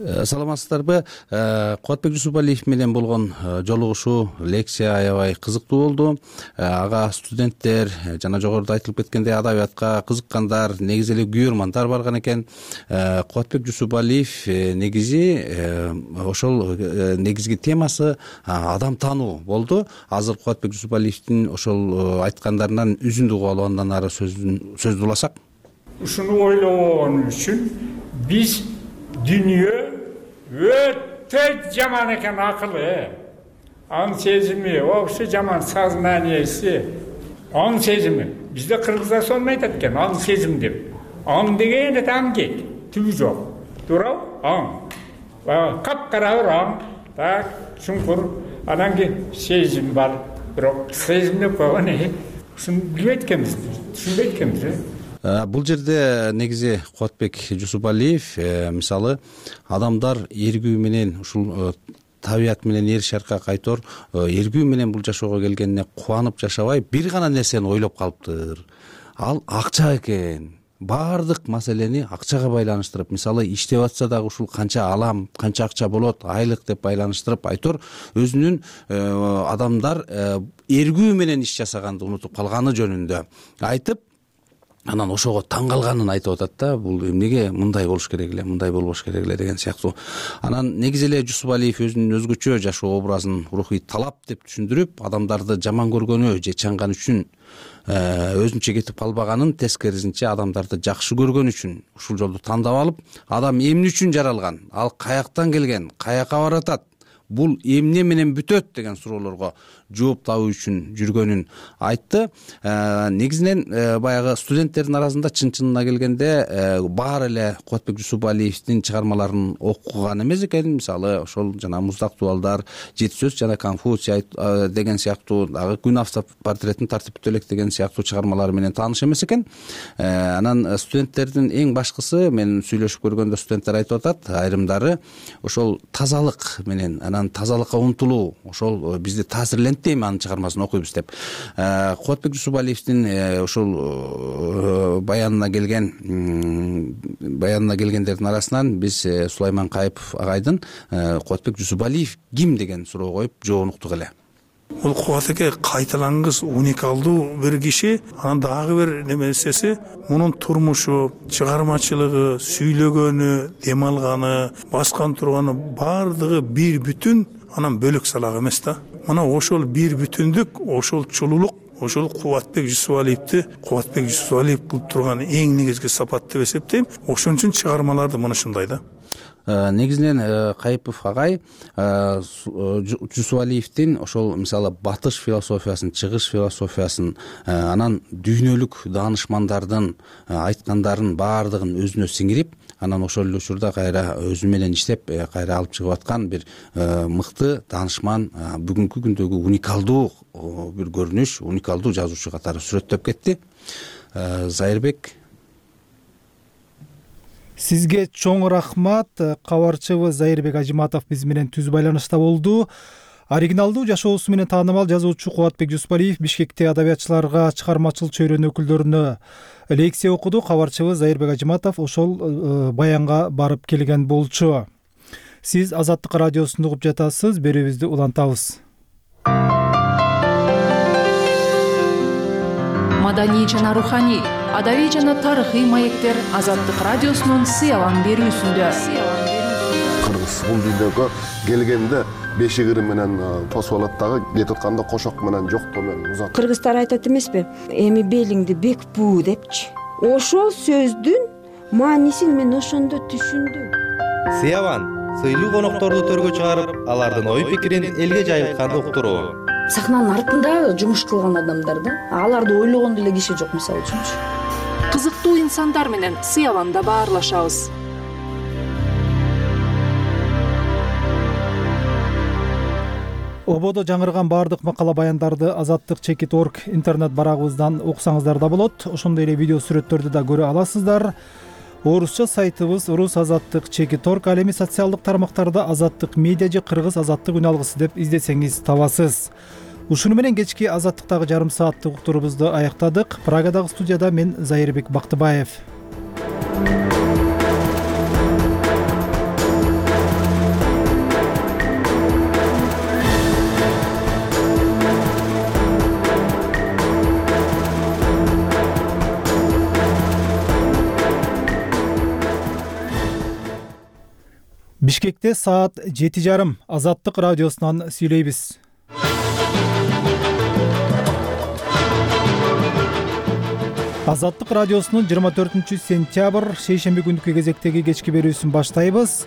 Саламатсыздарбы? Кубатбек Жусупалиев менен болгон жолугушуу, лекция аябай кызыктуу болду. Ага студенттер жана жогоруда айтылып кеткендей адабиятка кызыккандар, негизи эле күйөрмандар барган экен. Кубатбек Жусупалиев негизи ошол негизги темасы адам таануу болду. Азыр Кубатбек Жусупалиевдин ошол айткандарынан үзүндү угуп алып андан ары сөздү уласак. Ушуну ойлогон үчүн биз дүнүйө өтө жаман экен, акылы, аң сезими, вообще жаман сознанияси, аң сезими. Бизде кыргыздар сонун айтат экен, аң сезим деп. Аң деген эт амгек, түбү жок. Туурабы? Аң. Капкара бир аң, так, чуңкур, анан кийин сезим бар. Бирок сезим деп койгон э, ушуну билбейт экенбиз, түшүнбөйт экенбиз. Бул жерде негизи Кубатбек Жусупалиев мисалы адамдар эргүү менен ушул табият менен эр шаркка кайтор эргүү менен бул жашоого келгенине кубанып жашабай бир гана нерсени ойлоп калыптыр. Ал акча экен. Баардык маселени акчага байланыштырып, мисалы иштеп атса дагы ушул канча алам, канча акча болот, айлык деп байланыштырып айтор өзүнүн адамдар эргүү менен иш жасаганды унутуп калганы жөнүндө айтып, анан ошого таң калганын айтып атат да, бул эмнеге мындай болуш керек эле, мындай болбош керек эле деген сыяктуу. Анан негизи эле Жусупалиев өзүнүн өзгөчө жашоо образын рухий талап деп түшүндүрүп, адамдарды жаман көргөнү же чаңган үчүн өзүнчө кетип калбаганын, тескерисинче адамдарды жакшы көргөн үчүн ушул жолду тандап алып, адам эмне үчүн жаралган, ал каяктан келген, каяка баратат, бул эмне менен бүтөт деген суроолорго жооп табуу үчүн жүргөнүн айтты. Негизинен баягы студенттердин арасында чын-чынына келгенде баары эле Кубатбек Жусупалиевдин чыгармаларын окуган эмес экен. Мисалы ошол жана Муздак дубалдар, Жети сөз жана Конфуций деген сыяктуу, дагы Күн автопортретин тартиптүү элек деген сыяктуу чыгармалары менен тааныш эмес экен. Анан студенттердин эң башкысы, мен сүйлөшүп көргөндө студенттер айтып атат, айрымдары ошол тазалык менен, анан тазалыкка умтулуу, ошол бизди таасирлентти, анын чыгармасын окуйбуз деп. Кубатбек Жусупалиевдин ошол баянына келген баянына келгендердин арасынан биз Сулайман Кайыпов агайдын Кубатбек Жусупалиев ким деген суроо коюп жообун уктук эле. Бул Кубатбекке кайталангыс уникалдуу бир киши. Анан дагы бир немесеси, мунун турмушу, чыгармачылыгы, сүйлөгөнү, дем алганы, баскан турганы баардыгы бир бүтүн, анан бөлөк салак эмес да. Мына ошол бир бүтүндүк, ошол чулуулук, ошол Кубатбек Жусупалиевди Кубатбек Жусупалиев кылып турган эң негизги сапат деп эсептейм. Ошон үчүн чыгармаларды мына ушундай да. Негизинен Кайыпов агай Жусупалиевдин ошол мисалы батыш философиясын, чыгыш философиясын, анан дүйнөлүк даанышмандардын айткандарын баардыгын өзүнө сиңирип, анан ошол эле учурда кайра өзү менен иштеп, кайра алып чыгып аткан бир мыкты даанышман, бүгүнкү күндөгү уникалдуу бир көрүнүш, уникалдуу жазуучу катары сүрөттөп кетти. Зайырбек, сизге чоң рахмат. Кабарчыбыз Зайырбек Ажыматов биз менен түз байланышта болду. Оригиналдуу жашоосу менен таанымал жазуучу Кубатбек Жусупалиев Бишкекте адабиятчыларга, чыгармачыл чөйрөнүн өкүлдөрүнө лекция окуду. Кабарчыбыз Зайырбек Ажыматов ошол баянга барып келген болчу. Сиз Азаттык радиосун угуп жатасыз, берүүбүздү улантабыз. Маданий жана руханий, адабий жана тарыхый маектер Азаттык радиосунун сыялан берүүсүндө. Кыргыз бул дүйнөгө келгенде беши кырым менен тосуп алат дагы, кетип атканда кошок менен жоктоо менен узат. Кыргыздар айтат эмеспи? Эми белиңди бек буу депчи. Ошол сөздүн маанисин мен ошондо түшүндүм. Сыялан сыйлуу конокторду төргө чыгарып, алардын ой пикирин элге жайылтканды уктуруу. Сахнанын артында жумуш кылган адамдар да, аларды ойлогон деле киши жок, мисалы үчүнчү. Кызыктуу инсандар менен сыяланда баарлашабыз. ободо жаңырган баардык макала баяндарды азаттык чекит точка орг интернет барагыбыздан окусаңыздар да болот. Ошондой эле видео сүрөттөрдү да көрө аласыздар. Орусча сайтыбыз рус азаттык чекит точка орг, ал эми социалдык тармактарда азаттык медиа же кыргыз азаттык үн алгысы деп издесеңиз табасыз. Ушуну менен кечки азаттыктагы жарым сааттык уктурубузду аяктадык. Прагадагы студияда мен Зайырбек Бактыбаев. Бишкекте саат жети жарым. Азаттык радиосунан сүйлөйбүз. Азаттык радиосунун жыйырма төртүнчү сентябрь шейшемби күнкү кезектеги кечки берүүсүн баштайбыз.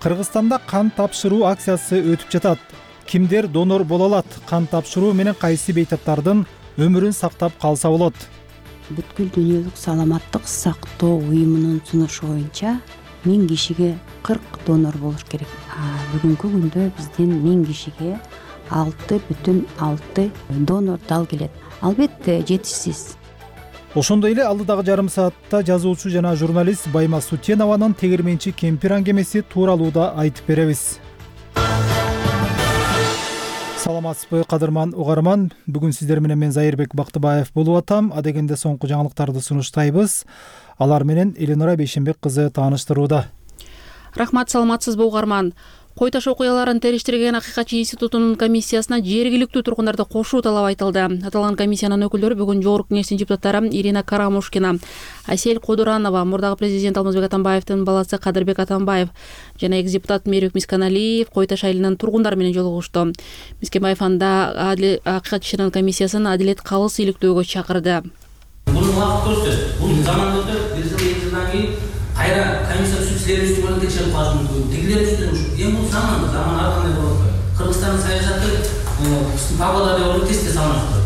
Кыргызстанда кан тапшыруу акциясы өтүп жатат. Кимдер донор боло алат? Кан тапшыруу менен кайсы бейтаптардын өмүрүн сактап калса болот? Бүткүл дүйнөлүк саламаттык сактоо уюмунун сунушу боюнча миң кишиге кырк донор болуш керек. Бүгүнкү күндө бизден миң кишиге алты бүтүн алты донор дал келет. Албетте жетишсиз. Ошондой эле алдыдагы жарым саатта жазуучу жана журналист Байма Сутенованын тегирменчи кемпир аңгемеси тууралуу да айтып беребиз. Саламатсызбы кадырман угарман, бүгүн сиздер менен мен Зайырбек Бактыбаев болуп атам. Адегенде соңку жаңылыктарды сунуштайбыз. Алар менен Эленора Бейшенбек кызы тааныштырууда. Рахмат, саламатсызбы угарман. Кой таш окуяларын териштирген Акыйкатчы институтунун комиссиясына жергиликтүү тургундарды кошуу талабы айтылды. Аталган комиссиянын өкүлдөрү бүгүн жогорку кеңештин депутаттары Ирина Карамушкина, Айсель Кодуранова, мурдагы президент Алмазбек Атамбаевдин баласы Кадырбек Атамбаев жана экс депутат Мээрбек Мисканалиев Кой таш айылынын тургундары менен жолугушту. Мискенбаев анда Акыйкатчынын комиссиясын адилет калыс иликтөөгө чакырды. Бул убакыт көрсөтөт. Бул заман өтөт, бир жыл эки жылдан кийин кайра комиссия түзүп силердин үстүңөрдөн текшерип калышы мүмкүн. Тигилер үстүнөн эми бул заман, заман ар кандай болот. Кыргызстандын саясаты павлодар деп ойлоп тез-тез салынат.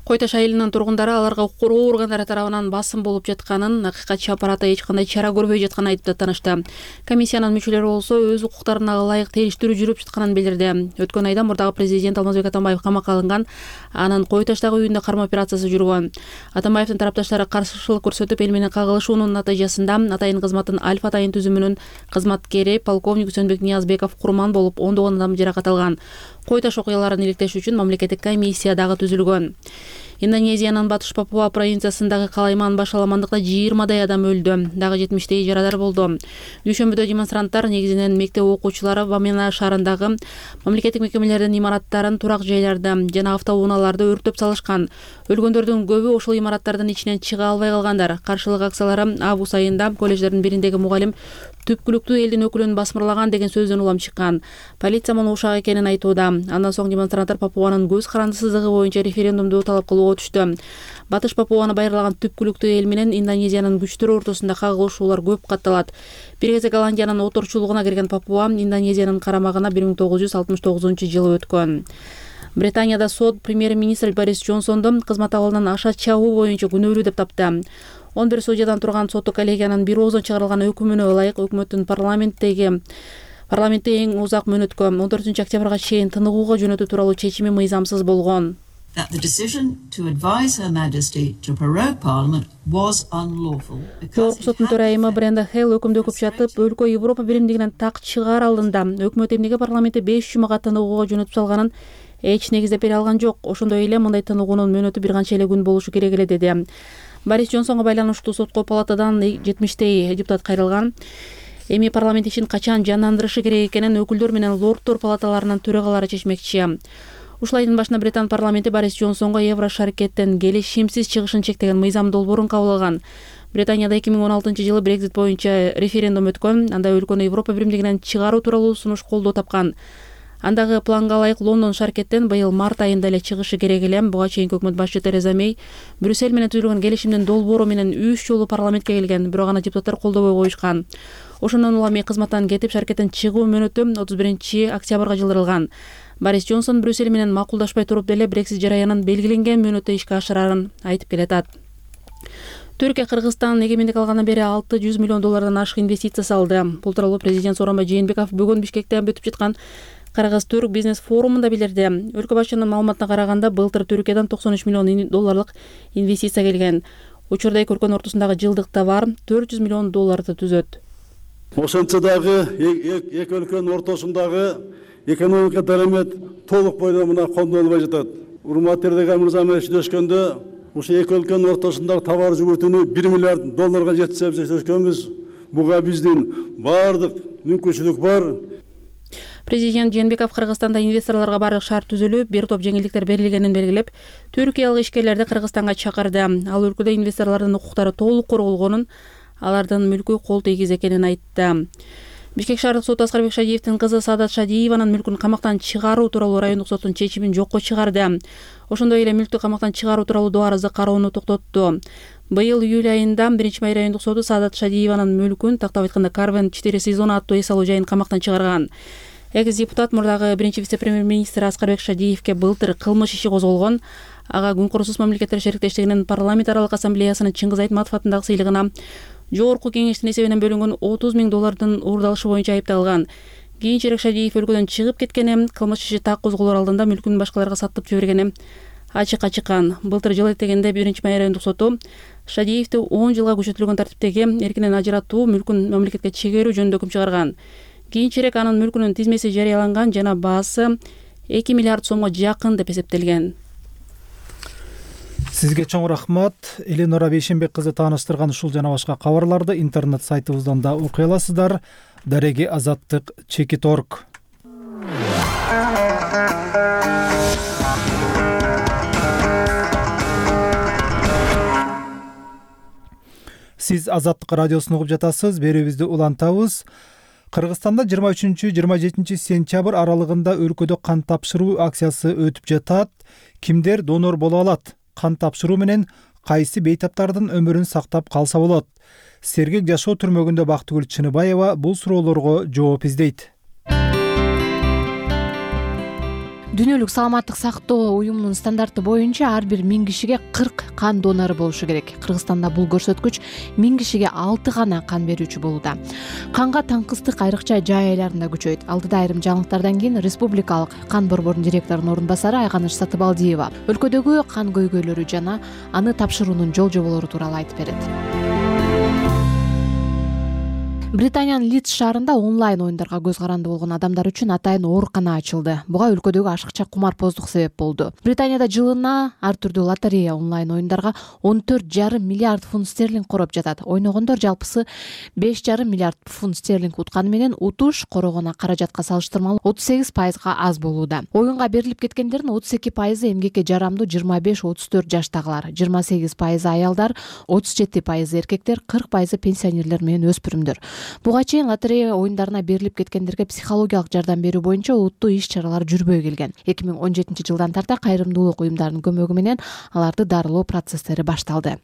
Кой таш айылынын тургундары аларга укугуу органдары тарабынан басым болуп жатканын, акыйкатчы аппараты эч кандай чара көрбөй жатканын айтып танышты. Комиссиянын мүчөлөрү болсо өз укуктарына ылайык териштирүү жүрүп жатканын билдирди. Өткөн айда мурдагы президент Алмазбек Атамбаев камакка алынган, анын Кой таштагы үйүндө кармоо операциясы жүргөн. Атамбаевдин тарапташтары каршылык көрсөтүп, эл менен кагылышуунун натыйжасында атайын кызматтын Альфа атайын түзүмүнүн кызматкери полковник Үсөнбек Ниязбеков курман болуп, ондогон адам жаракат алган. Кой таш окуяларын иликтеш үчүн мамлекеттик комиссия дагы түзүлгөн. Индонезиянын Батыш Папуа провинциясындагы Калайман баш аламандыкта жыйырмадай адам өлдү. Дагы жетимиштей жарадар болду. Дүйшөмбүдө демонстранттар негизинен мектеп окуучулары Вамена шаарындагы мамлекеттик мекемелердин имараттарын, турак жайларды жана автоунааларды өрттөп салышкан. Өлгөндөрдүн көбү ошол имараттардын ичинен чыга албай калгандар. Каршылык акциялары август айында колледждердин бириндеги мугалим түпкүлүктүү элдин өкүлүн басмырлаган деген сөздөн улам чыккан. Полиция муну ушак экенин айтууда. Андан соң демонстранттар Папуанын көз карандысыздыгы боюнча референдумду талап кылууга түштү. Батыш Папуаны байырлаган түпкүлүктүү эл менен Индонезиянын күчтөрү ортосунда кагылышуулар көп катталат. Бир кезде Голландиянын оторчулугуна кирген Папуа Индонезиянын карамагына бир миң тогуз жүз алтымыш тогузунчу жылы өткөн. Британияда сот премьер-министр Борис Джонсондун кызмат абалынан аша чабуу боюнча күнөөлүү деп тапты. он бир судьядан турган соттук коллегиянын бир оозун чыгарылган өкүмүнө ылайык өкмөттүн парламенттеги парламентте эң узак мөөнөткө он төртүнчү октябрга чейин тыныгууга жөнөтүү тууралуу чечими мыйзамсыз болгон. Жогорку соттун төрайымы Бренда Хейл өкүмдү окуп жатып, өлкө Европа биримдигинен так чыгаар алдында өкмөт эмнеге парламентте беш жумага тыныгууга жөнөтүп салганын эч негиздеп бере алган жок. Ошондой эле мындай тыныгуунун мөөнөтү бир канча эле күн болушу керек эле деди. Борис Джонсонго байланыштуу сотко палатадан жетимиштей депутат кайрылган. Эми парламент ишин качан жандандырышы керек экенин өкүлдөр менен лордтор палаталарынын төрагалары чечмекчи. Ушул айдын башында Британ парламенти Борис Джонсонго Евро шаркеттен келишимсиз чыгышын чектеген мыйзам долбоорун кабыл алган. Британияда эки миң он алтынчы жылы Брексит боюнча референдум өткөн. Анда өлкөнү Европа биримдигинен чыгаруу тууралуу сунуш колдоо тапкан. Андагы планга ылайык Лондон шаркеттен быйыл март айында эле чыгышы керек эле. Буга чейинки өкмөт башчы Тереза Мей Брюссель менен түзүлгөн келишимдин долбоору менен үч жолу парламентке келген, бирок аны депутаттар колдобой коюшкан. Ошондон улам Мей кызматтан кетип, шаркеттен чыгуу мөөнөтү отуз биринчи октябрга жылдырылган. Борис Джонсон Брюссель менен макулдашпай туруп деле Брексит жараянын белгиленген мөөнөттө ишке ашырарын айтып келатат. Түркия Кыргызстан эгемендик алгандан бери алты жүз миллион доллардан ашык инвестиция салды. Бул тууралуу президент Сооронбай Жээнбеков бүгүн Бишкекте өтүп жаткан кыргыз-түрк бизнес форумунда билдирди. Өлкө башчынын маалыматына караганда, былтыр Түркиядан токсон үч миллион долларлык инвестиция келген. Учурда эки өлкөнүн ортосундагы жылдык товар төрт жүз миллион долларды түзөт. Ошентсе дагы эки өлкөнүн ортосундагы экономика дарамет толук бойдон мына кондолбой жатат. Урматтуу Эрдоган мырза менен сүйлөшкөндө ушу эки өлкөнүн ортосундагы товар жүгүртүүнү бир миллиард долларга жеткизебиз деп сөзгөнбүз. Буга биздин баардык мүмкүнчүлүк бар. Президент Жээнбеков Кыргызстанда инвесторлорго бардык шарт түзүлүп, бир топ жеңилдиктер берилгенин белгилеп, түркиялык ишкерлерди Кыргызстанга чакырды. Ал өлкөдө инвесторлордун укуктары толук корголгонун, алардын мүлкү кол тийгиз экенин айтты. Бишкек шаардык соту Аскарбек Шадиевдин кызы Саадат Шадиеванын мүлкүн камактан чыгаруу тууралуу райондук соттун чечимин жокко чыгарды. Ошондой эле мүлктү камактан чыгаруу тууралуу доо арызды кароону токтотту. Быйыл июль айында биринчи май райондук соту Саадат Шадиеванын мүлкүн, тактап айтканда Карвен четыре сезон аттуу эс алуу жайын камактан чыгарган. Экс-депутат мурдагы биринчи вице-премьер-министр Аскарбек Шадиевке былтыр кылмыш иши козголгон. Ага Күн Курусуз мамлекеттер шериктештигинин парламент аралык ассамблеясынын Чыңгыз Айтматов атындагы сыйлыгына жогорку кеңештин эсебинен бөлүнгөн отуз миң доллардын уурдалышы боюнча айыпталган. Кийинчерээк Шадиев өлкөдөн чыгып кеткени, кылмыш иши так козголор алдында мүлкүн башкаларга сатып жибергени ачыкка чыккан. Былтыр жыл этегенде биринчи май райондук соту Шадиевди он жылга күчөтүлгөн тартиптеги эркинен ажыратуу, мүлкүн мамлекетке чегерүү жөнүндө өкүм чыгарган. Кийинчерээк анын мүлкүнүн тизмеси жарыяланган жана баасы эки миллиард сомго жакын деп эсептелген. Сизге чоң рахмат. Эленора Бейшенбек кызы тааныштырган ушул жана башка кабарларды интернет сайтыбыздан да окуй аласыздар. Дареги азаттык чекит точка орг. Сиз Азаттык радиосун угуп жатасыз. Берүүбүздү улантабыз. Кыргызстанда жыйырма үчүнчү жыйырма жетинчи сентябрь аралыгында өлкөдө кан тапшыруу акциясы өтүп жатат. Кимдер донор боло алат? Кан тапшыруу менен кайсы бейтаптардын өмүрүн сактап калса болот? Сергек жашоо түрмөгүндө Бактыгүл Чыныбаева бул суроолорго жооп издейт. Дүйнөлүк саламаттык сактоо уюмунун стандарты боюнча ар бир миң кишиге кырк кан донору болушу керек. Кыргызстанда бул көрсөткүч миң кишиге алты гана кан берүүчү болууда. Канга таңкыстык айрыкча жай айларында күчөйт. Алдыда айрым жаңылыктардан кийин Республикалык кан борборунун директорунун орун басары Айганыч Сатыбалдиева өлкөдөгү кан көйгөйлөрү жана аны тапшыруунун жол жоболору тууралуу айтып берет. Британиянын Лидс шаарында онлайн оюндарга көз каранды болгон адамдар үчүн атайын оорукана ачылды. Буга өлкөдөгү ашыкча кумарпоздук себеп болду. Британияда жылына ар түрдүү лотерея онлайн оюндарга он төрт жарым миллиард фунт стерлинг короп жатат. Ойногондор жалпысы беш жарым миллиард фунт стерлинг утканы менен утуш корогон каражатка салыштырмалуу отуз сегиз пайызга аз болууда. Оюнга берилип кеткендердин отуз эки пайызы эмгекке жарамдуу жыйырма беш отуз төрт жаштагылар, жыйырма сегиз пайызы аялдар, отуз жети пайызы эркектер, кырк пайызы пенсионерлер менен өспүрүмдөр. Буга чейин лотерея оюндарына берилип кеткендерге психологиялык жардам берүү боюнча улуттуу иш-чаралар жүрбөй келген. эки миң он жетинчи жылдан тарта кайрымдуулук уюмдарынын көмөгү менен аларды дарылоо процесстери башталды.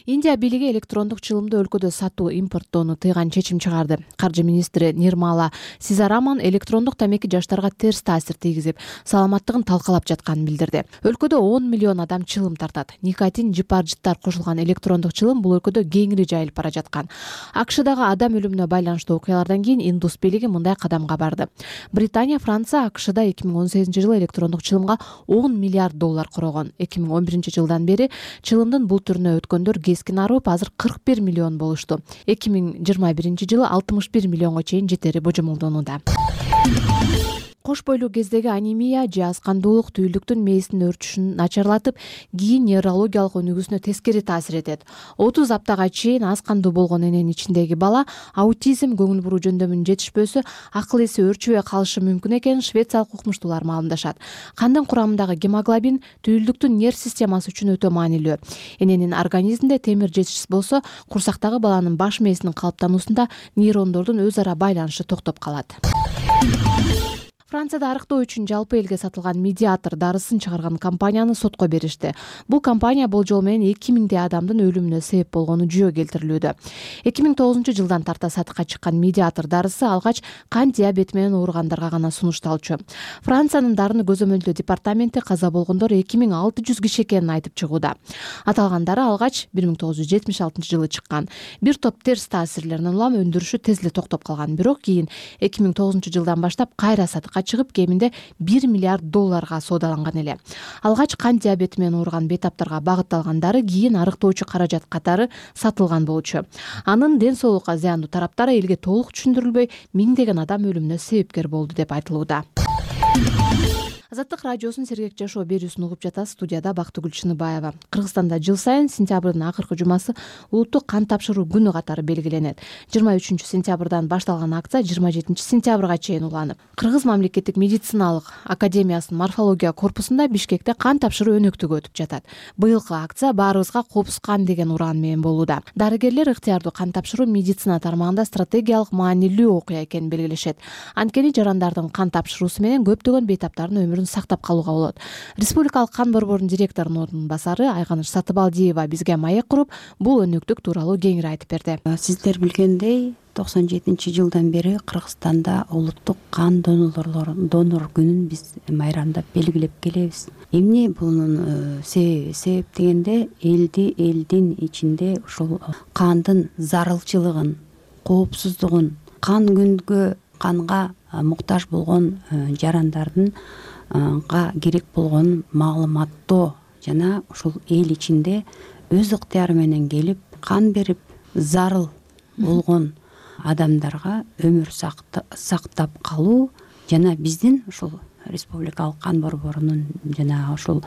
Индия бийлиги электрондук чылымды өлкөдө сатуу, импорттоону тыйган чечим чыгарды. Каржы министри Нирмала Сизараман электрондук тамеки жаштарга терс таасир тийгизип, саламаттыгын талкалап жатканын билдирди. Өлкөдө он миллион адам чылым тартат. Никотин, жипар-жыттар кошулган электрондук чылым бул өлкөдө кеңири жайылып бара жаткан. АКШдагы адам өлүмүнө байланыштуу окуялардан кийин индус бийлиги мындай кадамга барды. Британия, Франция АКШда эки миң он сегизинчи жылы электрондук чылымга он миллиард доллар корогон. эки миң он биринчи жылдан бери чылымдын бул түрүнө өткөндөр кескин арып азыр кырк бир миллион болушту. эки миң жыйырма биринчи жылы алтымыш бир миллионго чейин жетери божомолдонууда. Кош бойлуу кездеги анемия же аскандуулук түйүлдүктүн мээсинин өрчүшүн начарлатып, кийин неврологиялык өнүгүүсүнө тескери таасир этет. отуз аптага чейин аз кандуу болгон эненин ичиндеги бала аутизм, көңүл буруу жөндөмүнүн жетишпөөсү, акыл эси өөрчүбөй калышы мүмкүн экенин швециялык укмуштуулар маалымдашат. Кандын курамындагы гемоглобин түйүлдүктүн нерв системасы үчүн өтө маанилүү. Эненин организминде темир жетишсиз болсо, курсактагы баланын баш мээсинин калыптануусунда нейрондордун өз ара байланышы токтоп калат. Францияда арыктоо үчүн жалпы элге сатылган медиатор дарысын чыгарган компанияны сотко беришти. Бул компания болжол менен эки миңдей адамдын өлүмүнө себеп болгону жүйө келтирилүүдө. эки миң тогузунчу жылдан тарта сатыкка чыккан медиатор дарысы алгач кант диабети менен ооругандарга гана сунушталчу. Франциянын дарыны көзөмөлдөө департаменти каза болгондор эки миң алты жүз киши экенин айтып чыгууда. Аталган дары алгач бир миң тогуз жүз жетимиш алтынчы жылы чыккан. Бир топ терс таасирлеринен улам өндүрүшү тез эле токтоп калган. Бирок кийин эки миң тогузунчу жылдан баштап кайра сатыкка чыгып, кеминде бир миллиард долларга соодаланган эле. Алгач кант диабети менен ооруган бейтаптарга багытталган дары кийин арыктоочу каражат катары сатылган болчу. Анын ден соолукка зыяндуу тараптары элге толук түшүндүрүлбөй, миңдеген адам өлүмүнө себепкер болду деп айтылууда. Азаттык радиосунун Сергек жашоо берүүсүн угуп жатасыз. Студияда Бактыгүл Чыныбаева. Кыргызстанда жыл сайын сентябрдын акыркы жумасы улуттук кан тапшыруу күнү катары белгиленет. жыйырма үчүнчү сентябрдан башталган акция жыйырма жетинчи сентябрга чейин уланып, Кыргыз мамлекеттик медициналык академиясынын морфология корпусунда Бишкекте кан тапшыруу өнөктүгү өтүп жатат. Быйылкы акция баарыбызга коопсуз кан деген ураан менен болууда. Дарыгерлер ыктыярдуу кан тапшыруу медицина тармагында стратегиялык маанилүү окуя экенин белгилешет. Анткени жарандардын кан тапшыруусу менен көптөгөн бейтаптардын өмүрүн сактап калууга болот. Республикалык кан борборунун директорунун ордун басары Айганыш Сатыбалдиева бизге маек куруп, бул өнөктүк тууралуу кеңири айтып берди. Сиздер билгендей, токсон жетинчи жылдан бери Кыргызстанда улуттук кан донор күнүн биз майрамдап белгилеп келебиз. Эмне бунун себеби дегенде, элди элдин ичинде ушул кандын зарылчылыгын, коопсуздугун, кан күнгө канга муктаж болгон жарандардын га керек болгон маалыматтоо жана ушул эл ичинде өз ыктыяры менен келип кан берип зарыл болгон адамдарга өмүр сактап калуу жана биздин ушул республикалык кан борборунун жана ушул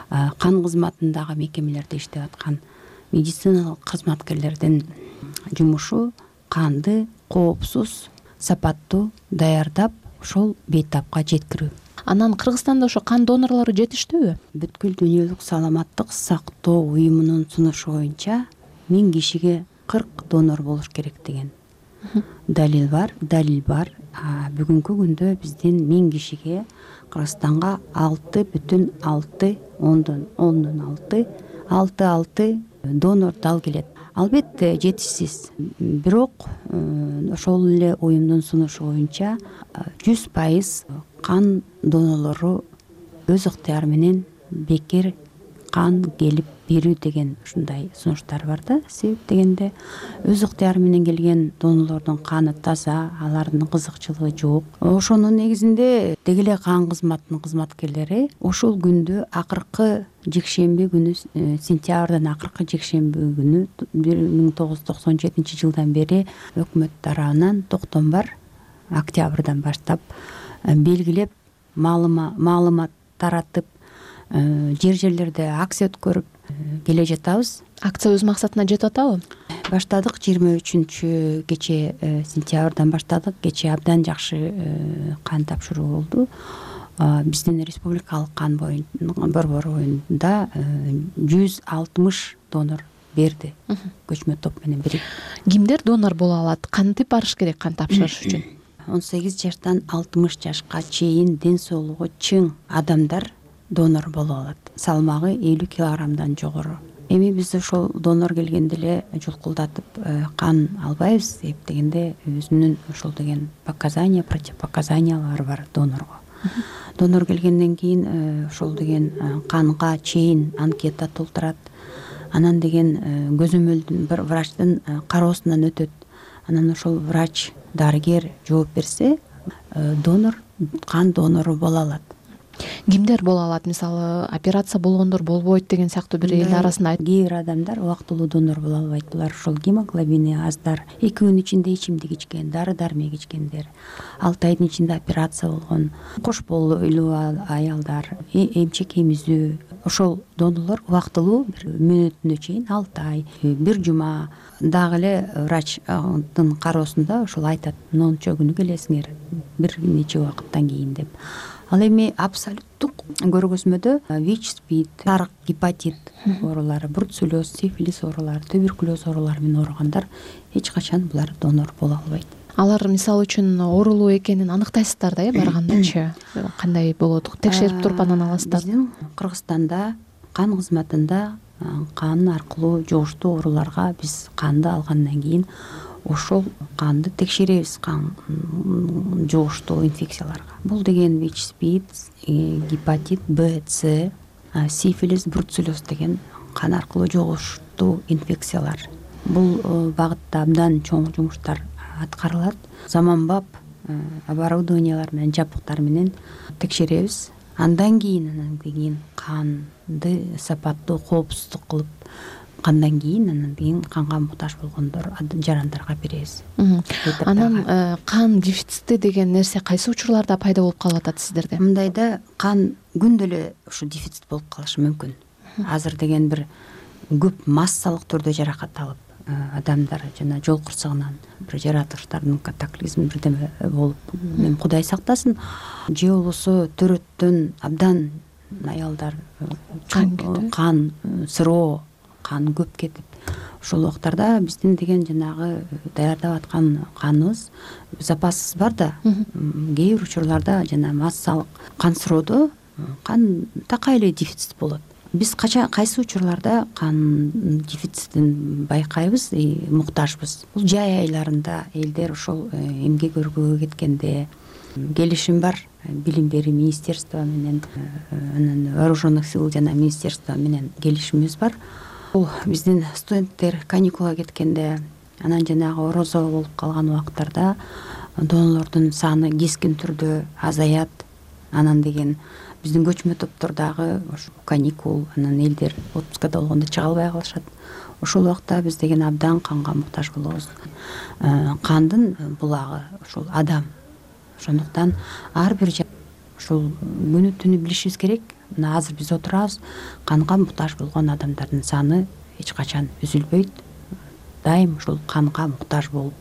кан кызматындагы мекемелерде иштеп аткан медициналык кызматкерлердин жумушу канды коопсуз, сапаттуу даярдап ошол бейтапка жеткирүү. Анан Кыргызстанда ошо кан донорлору жетиштүүбү? Бүткүл дүйнөлүк саламаттык сактоо уюмунун сунушу боюнча миң кишиге кырк донор болуш керек деген далил бар, далил бар. Бүгүнкү күндө биздин миң кишиге Кыргызстанга алты бүтүн алты ондон ондон алты алты алты донор дал келет. Албетте жетишсиз, бирок ошол эле уюмдун сунушу боюнча жүз пайыз кан донорлору өз ыктыяры менен бекер кан келип берүү деген ушундай сунуштар бар да. Себеп дегенде өз ыктыяры менен келген донорлордун каны таза, алардын кызыкчылыгы жок. Ошонун негизинде деги эле кан кызматынын кызматкерлери ушул күндү акыркы жекшемби күнү, сентябрдын акыркы жекшемби күнү бир миң тогуз жүз токсон жетинчи жылдан бери өкмөт тарабынан токтом бар, октябрдан баштап белгилеп, маалымат таратып, жер жерлерде акция өткөрүп келе жатабыз. Акция өз максатына жетип атабы? Баштадык жыйырма үчүнчү кече сентябрдан баштадык. Кече абдан жакшы кан тапшыруу болду. Биздин республикалык кан борборунда жүз алтымыш донор берди, көчмө топ менен бирип. Кимдер донор боло алат? Кантип барыш керек кан тапшырыш үчүн? он сегиз жаштан алтымыш жашка чейин ден соолугу чың адамдар донор боло алат. Салмагы элүү килограммдан жогору. Эми биз ошол донор келгенде эле жулкулдатып кан албайбыз. Себеп дегенде өзүнүн ошол деген показания, противопоказаниялары бар донорго. Донор келгенден кийин ошол деген канга чейин анкета толтурат. Анан деген көзөмөлдүн бир врачтын кароосунан өтөт. Анан ошол врач, дарыгер жооп берсе, донор кан донору боло алат. Кимдер боло алат? Мисалы, операция болгондор болбойт деген сыяктуу бир эл арасында кээ бир адамдар убактылуу донор боло албайт. Булар ошол гемоглобини аздар, эки күн ичинде ичимдик ичкен, дары дармек ичкендер, алты айдын ичинде операция болгон, кош бойлуу аялдар, эмчек эмизүү. Ошол донорлор убактылуу бир мөөнөтүнө чейин алты ай, бир жума дагы эле врачтын кароосунда ошол айтат, мончо күнү келесиңер, бир нече убакыттан кийин деп. Ал эми абсолюттук көргөзмөдө ВИЧ, СПИД, сарык, гепатит оорулары, бруцеллез, сифилис оорулары, туберкулез оорулары менен ооругандар эч качан булар донор боло албайт. алар мисалы үчүн оорулуу экенин аныктайсыздар да, э баргандачы кандай болот, текшерип туруп анан аласыздар? Биздин Кыргызстанда кан кызматында кан аркылуу жугуштуу ооруларга биз канды алгандан кийин ошол канды текшеребиз, кан жугуштуу инфекцияларга. Бул деген ВИЧ-СПИД, гепатит Б, С, сифилис, бруцеллез деген кан аркылуу жугуштуу инфекциялар. Бул багытта абдан чоң жумуштар аткарылат. Заманбап оборудованиялар менен, жабдыктар менен текшеребиз. Андан кийин анан кийин канды сапаттуу, коопсуздук кылып, кандан кийин анан кийин канга муктаж болгондор, жарандарга беребиз. Анан кан дефицити деген нерсе кайсы учурларда пайда болуп калып атат сиздерде? Мындайда кан күндө эле ушу дефицит болуп калышы мүмкүн. Азыр деген бир көп массалык түрдө жаракат алып, адамдар жана жол кырсыгынан бир жаратылыштардын катаклизми бирдеме болуп, Кудай сактасын, же болбосо төрөттөн абдан аялдар кан сыроо, кан көп кетип, ошол убактарда биздин деген жанагы даярдап аткан каныбыз, запасыбыз бар да, кээ бир учурларда жана массалык кан сыроодо кан такай эле дефицит болот. Биз кача кайсы учурларда кан дефицитин байкайбыз, муктажбыз. Бул жай айларында элдер ошол эмгек өргөгө кеткенде келишим бар, билим берүү министерство менен, анан вооруженных сил жана министерство менен келишимибиз бар. Бул биздин студенттер каникулга кеткенде, анан жанагы орозо болуп калган убактарда донорлордун саны кескин түрдө азаят. Анан деген биздин көчмө топтордогу ошо каникул, анан элдер отпускада болгондо чыга албай калышат. Ошол убакта биз деген абдан канга муктаж болобуз. Кандын булагы ошол адам. Ошондуктан ар бир ошол күнү түнү билишибиз керек. Мына азыр биз отурабыз, канга муктаж болгон адамдардын саны эч качан үзүлбөйт. Дайым ошол канга муктаж болуп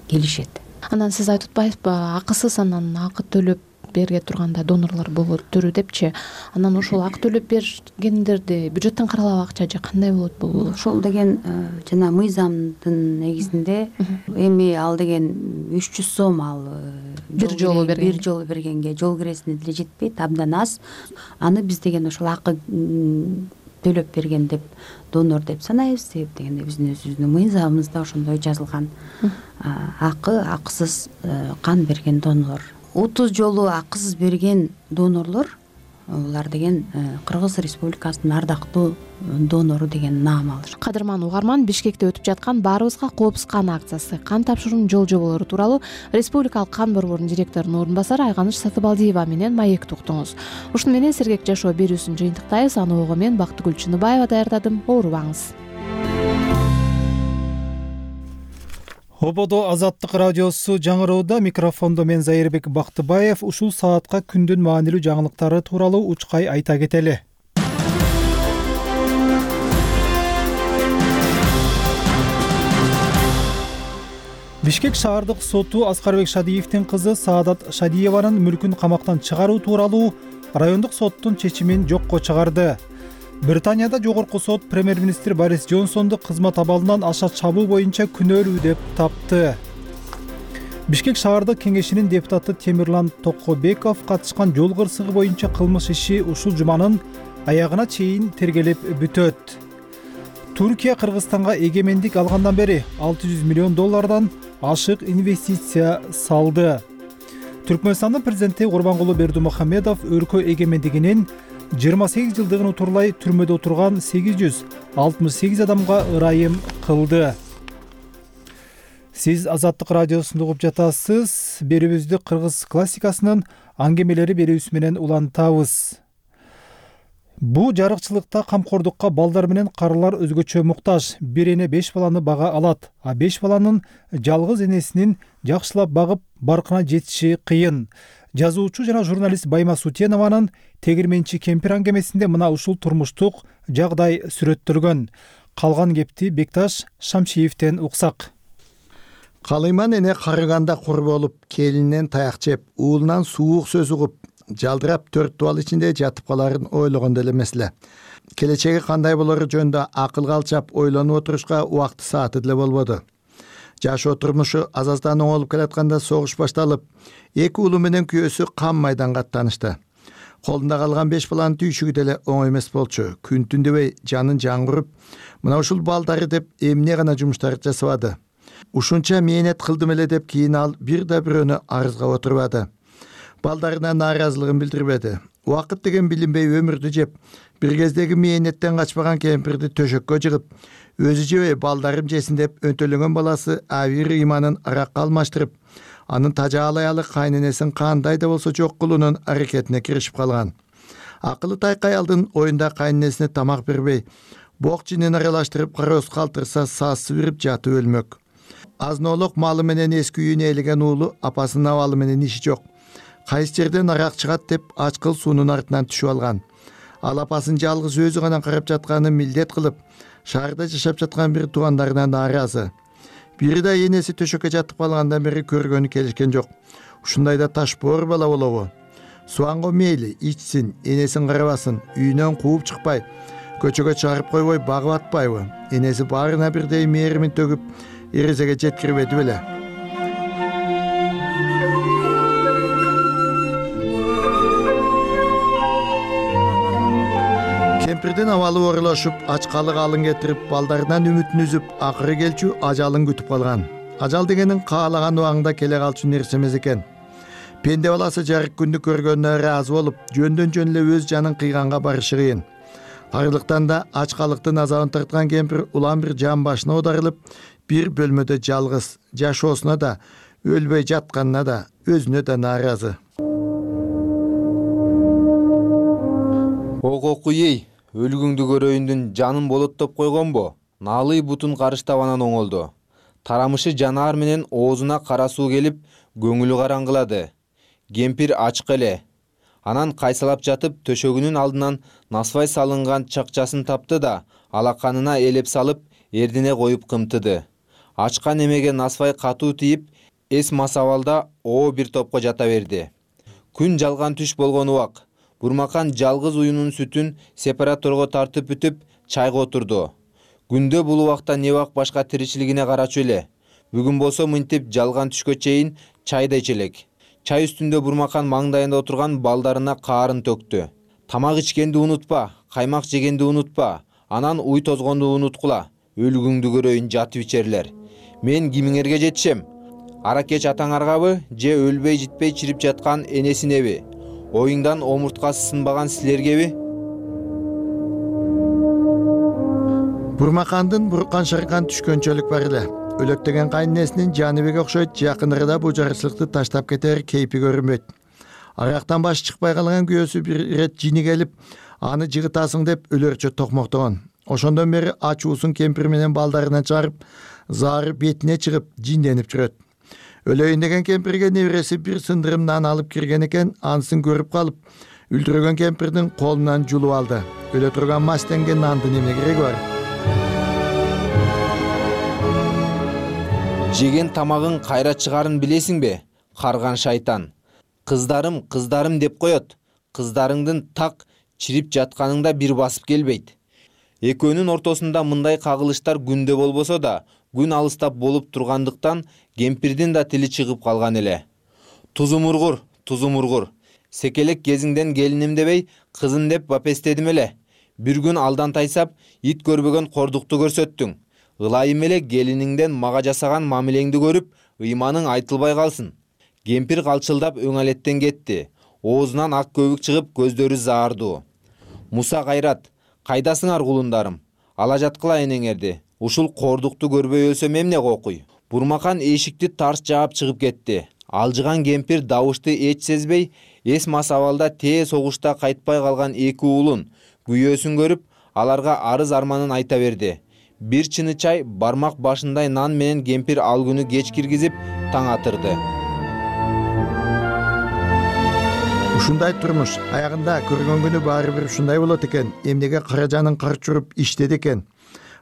келишет. Анан сиз айтып атпайсызбы, акысыз анан акы төлөп берге турганда донорлор болот түрү депчи. Анан ошол акы төлөп бергендерди бюджеттен каралган акча же кандай болот бул? Ошол деген жана мыйзамдын негизинде эми ал деген үч жүз сом ал бир жолу берген. Бир жолу бергенге жол киресине деле жетпейт, абдан аз. Аны биз деген ошол акы төлөп берген деп, донор деп санайбыз. Себеп дегенде биздин өзүбүздүн мыйзамыбызда ошондой жазылган. Акы акысыз кан берген донор. отуз жолу акысыз берген донорлор, булар деген Кыргыз Республикасынын ардактуу донору деген наам алышат. Кадырман угарман, Бишкекте өтүп жаткан Баарыбызга коопсуз кан акциясы, кан тапшыруунун жол жоболору тууралуу Республикалык кан борборунун директорунун орун басары Айганыч Сатыбалдиева менен маекти уктуңуз. Ушуну менен Сергек жашоо берүүсүн жыйынтыктайбыз. Аны ого мен Бактыгүл Чыныбаева даярдадым. Оорубаңыз. Ободо Азаттык радиосу жаңыроодо, микрофондо мен Зайырбек Бактыбаев. Ушул саатка күндүн маанилүү жаңылыктары тууралуу учкай айта кетели. Бишкек шаардык соту Аскарбек Шадиевдин кызы Саадат Шадиеванын мүлкүн камактан чыгаруу тууралуу райондук соттун чечимин жокко чыгарды. Британияда жогорку сот премьер-министр Борис Джонсонду кызмат абалынан аша чабуу боюнча күнөөлүү деп тапты. Бишкек шаардык кеңешинин депутаты Темирлан Токобеков катышкан жол кырсыгы боюнча кылмыш иши ушул жуманын аягына чейин тергелип бүтөт. Туркия Кыргызстанга эгемендик алгандан бери алты жүз миллион доллардан ашык инвестиция салды. Түркмөнстандын президенти Курбангулу Бердимухамедов өлкө эгемендигинин жыйырма сегиз жылдыгын утурлай түрмөдө отурган сегиз жүз алтымыш сегиз адамга ырайым кылды. Сиз Азаттык радиосунда угуп жатасыз. Берүүбүздү кыргыз классикасынын аңгемелери берүүсү менен улантабыз. Бу жарыкчылыкта камкордукка балдар менен карылар өзгөчө муктаж. Бир эне беш баланы бага алат, а беш баланын жалгыз энесинин жакшылап багып баркына жетиши кыйын. Жазуучу жана журналист Байма Сутенованын Тегирменчи кемпир аңгемесинде мына ушул турмуштук жагдай сүрөттөлгөн. Калган кепти Бекташ Шамшиевден уксак. Калыйман эне карыганда кур болуп, келининен таяк жеп, уулунан суук сөз угуп, жалдырап төрт дубал ичинде жатып каларын ойлогондо эле эмес эле. Келечеги кандай болору жөнүндө акылга алчап ойлонуп отурушка убакты сааты деле болбоду. жашоо турмушу аз аздан оңолуп келатканда согуш башталып, эки уулу менен күйөөсү кам майданга аттанышты. Колунда калган беш баланын түйшүгү деле оңой эмес болчу. Күн түн дебей жанын жаңгырып, мына ушул балдары деп эмне гана жумуштарды жасабады. Ушунча мээнет кылдым эле деп кийин ал бир да бирөөнү арызга отурбады. Балдарына нааразылыгын билдирбеди. Убакыт деген билинбей өмүрдү жеп, бир кездеги мээнеттен качпаган кемпирди төшөккө жыгып, өзү жебей балдарым жесин деп өнтөлөгөн баласы Авир ыйманын аракка алмаштырып, анын тажаалы аялы кайненесин кандай да болсо жок кылуунун аракетине киришип калган. Акылы тайкай аялдын оюнда кайненесине тамак бербей, бок жинин аралаштырып кароз калтырса саас бирип жатып өлмөк. Азноолук малы менен эски үйүнө ээлеген уулу апасынын абалы менен иши жок. Кайсы жерден арак чыгат деп ачкыл суунун артынан түшүп алган. Ал апасын жалгыз өзү гана карап жатканын милдет кылып, шаарда жашап жаткан бир туугандарына нааразы. Бири да энеси төшөккө жатып калгандан бери көргөнү келишкен жок. Ушундайда ташбоор бала болобу? Суанго мейли ичсин, энесин карабасын, үйүнөн кууп чыкпай, көчөгө чыгарып койбой багып атпайбы? Энеси баарына бирдей мээримин төгүп, эрезеге жеткирбеди беле? Кемпирдин абалы оорулашып, ачкалык алын кетирип, балдарынан үмүтүн үзүп, акыры келчү ажалын күтүп калган. Ажал дегенин каалаган убагында келе калчу нерсе эмес экен. Пенде баласы жарык күндү көргөнүнө ыраазы болуп, жөндөн жөн эле өз жанын кыйганга барышы кыйын. Арылыктан да ачкалыктын азабын тарткан кемпир улам бир жан башына оодарылып, бир бөлмөдө жалгыз, жашоосуна да, өлбөй жатканына да, өзүнө да нааразы. Ококуй, өлгүңдү көрөйүндүн жанын болоттоп койгонбу? Наалый бутун карыштап анан оңолду. Тарамышы жанаар менен оозуна кара суу келип, көңүлү караңгылады. Кемпир ачык эле. Анан кайсалап жатып, төшөгүнүн алдынан насвай салынган чакчасын тапты да, алаканына элеп салып, эрдине коюп кымтыды. Ачкан эмеге насвай катуу тийип, эс масабалда оо бир топко жата берди. Күн жалган түш болгон убак. Бурмакан жалгыз уюнун сүтүн сепараторго тартып бүтүп, чайга отурду. Күндө бул убакта не бак башка тиричилигине карачу эле. Бүгүн болсо мынтип жалган түшкө чейин чайда ичелек. Чай үстүндө Бурмакан маңдайында отурган балдарына каарын төктү. Тамак ичкенди унутпа, каймак жегенди унутпа, анан уй тозгонду унуткула. Өлгүңдү көрөйүн жатып ичерлер. Мен кимиңерге жетишем? Аракеч атаңаргабы, же өлбөй житпей чирип жаткан энесинеби? Оюңдан омурткасы сынбаган силергеби? Бурмакандын буркан шыркан түшкөнчөлүк бар эле. Өлөктөгөн кайненесинин Жаныбек окшойт, жакынырда бул жарычылыкты таштап кетер кейпи көрүнбөйт. Арактан баш чыкпай калган күйөөсү бир ирет жини келип, аны жыгытасың деп өлөрчө токмоктогон. Ошондон бери ачуусун кемпир менен балдарына чыгарып, зары бетине чыгып, жинденип жүрөт. Өлөйүн деген кемпирге небереси бир сындырым нан алып кирген экен, анысын көрүп калып, үлдүрөгөн кемпирдин колунан жулуп алды. Өлө турган мастенген нандын эмне кереги бар? Жеген тамагың кайра чыгарын билесиңби? Карган шайтан. Кыздарым, кыздарым деп коет. Кыздарыңдын так чирип жатканыңда бир басып келбейт. Экөөнүн ортосунда мындай кагылыштар күндө болбосо да, күн алыстап болуп тургандыктан кемпирдин да тили чыгып калган эле. Тузумургур, тузумургур. Секелек кезиңден келиним дебей, кызын деп бапестедим эле. Бир күн алдан тайсап, ит көрбөгөн кордукту көрсөттүң. Ылайым эле келиниңден мага жасаган мамилеңди көрүп, ыйманың айтылбай калсын. Кемпир калчылдап өңалеттен кетти. Оозунан ак көбүк чыгып, көздөрү заардуу. Муса Кайрат, кайдасыңар кулундарым? Ала жаткыла энеңерди. Ушул кордукту көрбөй өлсөм эмне кокуй? Бурмакан эшикти тарс жаап чыгып кетти. Алжыган кемпир добушты эч сезбей, эс масабалда тээ согушта кайтпай калган эки уулун, күйөөсүн көрүп, аларга арыз арманын айта берди. Бир чыны чай, бармак башындай нан менен кемпир ал күнү кеч киргизип, таң атырды. Ушундай турмуш аягында көргөн күнү баары бир ушундай болот экен. Эмнеге кара жанын карчуруп иштеди экен.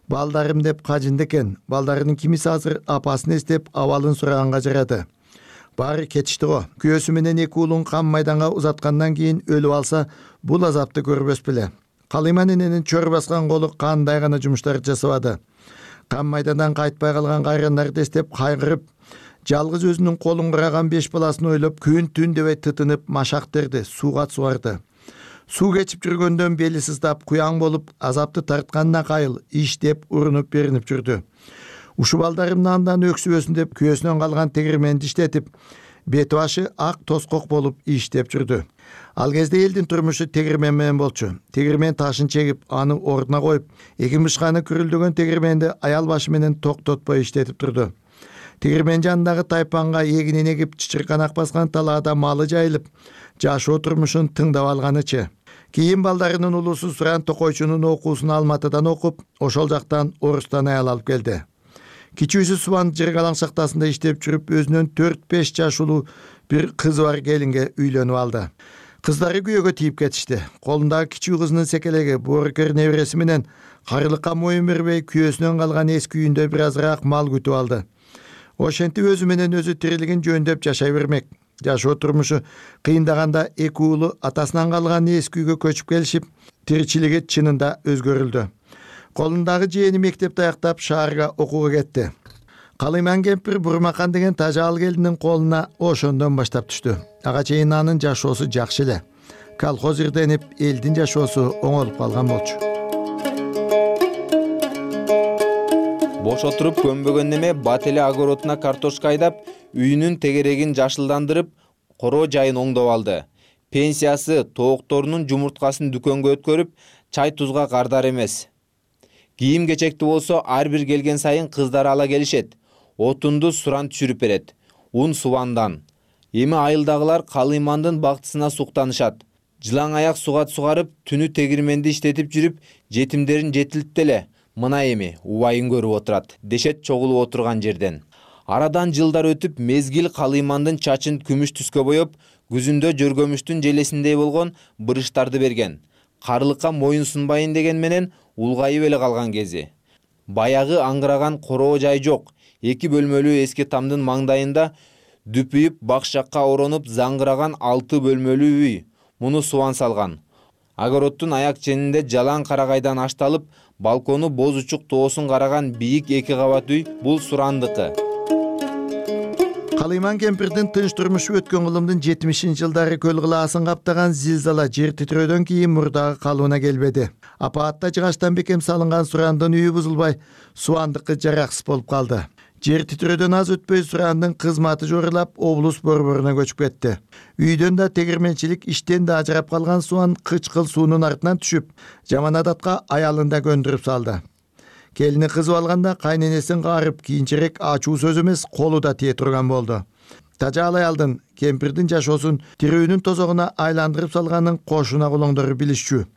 Балдарым деп кажынды экен. Балдарынын кимиси азыр апасын эстеп абалын сураганга жарады. Баары кетишти го. Күйөөсү менен эки уулун кам майданга узаткандан кийин өлүп алса, бул азапты көрбөс беле. Калыйман эненин чөр баскан колу кандай гана жумуштар жасабады. Кан майдандан кайтпай калган кайрандарды эстеп кайгырып, жалгыз өзүнүн колун кураган беш баласын ойлоп күн түн дебей тытынып машак терди, сууга сугарды. Суу кечип жүргөндөн бели сыздап, куяң болуп, азапты тартканына кайыл, иштеп, урунуп беринип жүрдү. Ушул балдарымды андан өксүбөсүн деп күйөөсүнөн калган тегирменди иштетип, бети башы ак тоскок болуп иштеп жүрдү. Ал кезде элдин турмушу тегирмен менен болчу. Тегирмен ташын чегип, аны ордуна коюп, эки мышканы күрүлдөгөн тегирменди аял башы менен токтотпой иштетип турду. Тегирмен жанындагы тайпанга эгинин эгип, чычырканак баскан талаада малы жайылып, жашоо турмушун тыңдап алганычы. Кийин балдарынын улусу Суран Токойчунун окуусун Алматыдан окуп, ошол жактан Орустан аял алып келди. Кичүүсү Субан Жыргалаң шахтасында иштеп жүрүп, өзүнүн төрт беш жашылуу бир кызы бар келинге үйлөнүп алды. Кыздары күйөөгө тийип кетишти. Колундагы кичүү кызынын секелеги боорукер небереси менен карылыкка моюн бербей, күйөөсүнөн калган эски үйүндө бир азыраак мал күтүп алды. Ошентип өзү менен өзү тирилигин жөндөп жашай бермек. Жашоо турмушу кыйындаганда эки уулу атасынан калган эски үйгө көчүп келишип, тиричилиги чынында өзгөрүлдү. Колундагы жээни мектепти аяктап шаарга окууга кетти. Калыйман кемпир Бурмакан деген тажал келиндин колуна ошондон баштап түштү. Ага чейин анын жашоосу жакшы эле. Колхоз ирденип, элдин жашоосу оңолуп калган болчу. Бош отуруп көнбөгөн неме бат эле огородуна картошка айдап, үйүнүн тегерегин жашылдандырып, короо жайын оңдоп алды. Пенсиясы тоокторунун жумурткасын дүкөнгө өткөрүп, чай тузга кардар эмес. Кийим кечекти болсо ар бир келген сайын кыздар ала келишет. Отунду Суран түшүрүп берет. Ун Субандан. Эми айылдагылар Калыймандын бактысына суктанышат. Жылаң аяк сугат сугарып, түнү тегирменди иштетип жүрүп, жетимдерин жетилтти эле. Мына эми убайын көрүп отурат, дешет чогулуп отурган жерден. Арадан жылдар өтүп, мезгил Калыймандын чачын күмүш түскө боеп, күзүндө жөргөмүштүн желесиндей болгон бырыштарды берген. Карылыкка моюн сунбайын деген менен улгайып эле калган кези. Баягы аңгыраган короо жай жок. Эки бөлмөлүү эски тамдын маңдайында дүпүйүп, бакшакка оронуп заңгыраган алты бөлмөлүү үй. Муну Субан салган. Огороддун аяк ченинде жалаң карагайдан ашталып, балкону боз учук тоосун караган бийик эки кабат үй бул Сурандыкы. Калыйман кемпирдин тынч турмушу өткөн кылымдын жетимишинчи жылдары көл кылаасын каптаган зилзала жер титирөөдөн кийин мурдагы калыбына келбеди. Апаатта жыгачтан бекем салынган Сурандын үйү бузулбай, Субандыкы жараксыз болуп калды. Жер титирөөдөн аз өтпөй Сурандын кызматы жорулап, облус борборуна көчүп кетти. Үйдөн да тегирменчилик иштен да ажырап калган Субан кычкыл суунун артынан түшүп, жаман адатка аялын да көндүрүп салды. Келини кызып алганда кайненесин каарып, кийинчерээк ачуу сөз эмес, колу да тие турган болду. Тажал аялдын кемпирдин жашоосун тирүүнүн тозогуна айландырып салганын кошуна кулоңдору билишчү.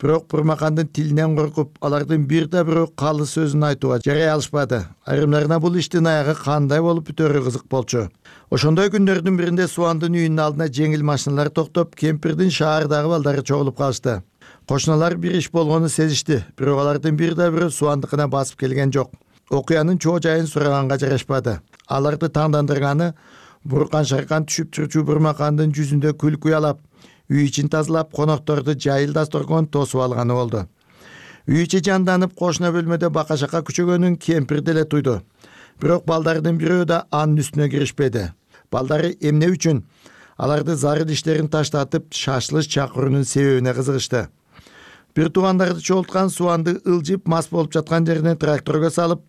Бирок Бурмакандын тилинен коркуп, алардын бир да бирөө калы сөзүн айтууга жарай алышпады. Айрымдарына бул иштин аягы кандай болуп бүтөрү кызык болчу. Ошондой күндөрдүн биринде Субандын үйүнүн алдына жеңил машиналар токтоп, кемпирдин шаардагы балдары чогулуп калышты. Кошуналар бир иш болгону сезишти, бирок алардын бир да бирөө Субандыкына басып келген жок. Окуянын чоо жайын сураганга жарашпады. Аларды таңдандырганы буркан шаркан түшүп турчу Бурмакандын жүзүндө күлкү уялап, үй ичин тазалап, конокторду жайыл дасторкон тосуп алганы болду. Үй ичи жанданып, кошуна бөлмөдө бака-шака күчөгөнүн кемпир деле туйду. Бирок балдардын бирөө да анын үстүнө киришпеди. Балдары эмне үчүн аларды зарыл иштерин таштатып, шашлыш чакыруунун себебине кызыгышты. Бир туугандарды чогулткан Субанды ылжып мас болуп жаткан жерине тракторго салып,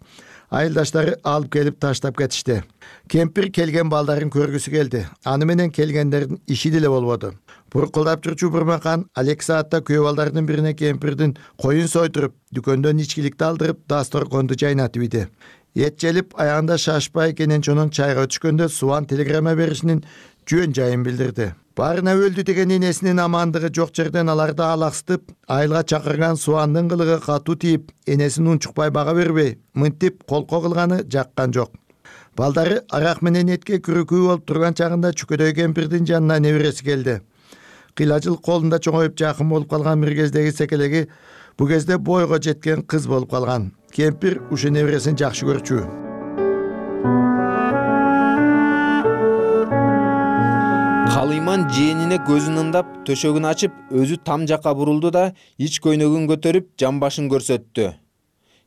айылдаштары алып келип таштап кетишти. Кемпир келген балдарын көргүсү келди. Аны менен келгендердин иши деле болбоду. Буркулдап турчу Бурмакан алек саатта күйөө балдардын бирине кемпирдин коюн сойдуруп, дүкөндөн ичкиликти алдырып, дасторконду жайнатып ийди. Эт желип, аягында шашпай Кененчонун чайга түшкөндө Субан телеграмма беришинин жөн жайын билдирди. Барына өлдү деген энесинин амандыгы жок жерден аларды алаксытып, айылга чакырган Субандын кылыгы катуу тийип, энесин унчукпай бага бербей, мынтип колко кылганы жаккан жок. Балдары арак менен этке күрүкүү болуп турган чагында чүкөдөй кемпирдин жанына небереси келди. Кыйлажыл колунда чоңоюп жакын болуп калган бир кездеги секелеги бу кезде бойго жеткен кыз болуп калган. Кемпир ушу небересин жакшы көрчү. Калыйман жээнине көзүн ымдап, төшөгүн ачып, өзү там жакка бурулду да, ич көйнөгүн көтөрүп, жамбашын көрсөттү.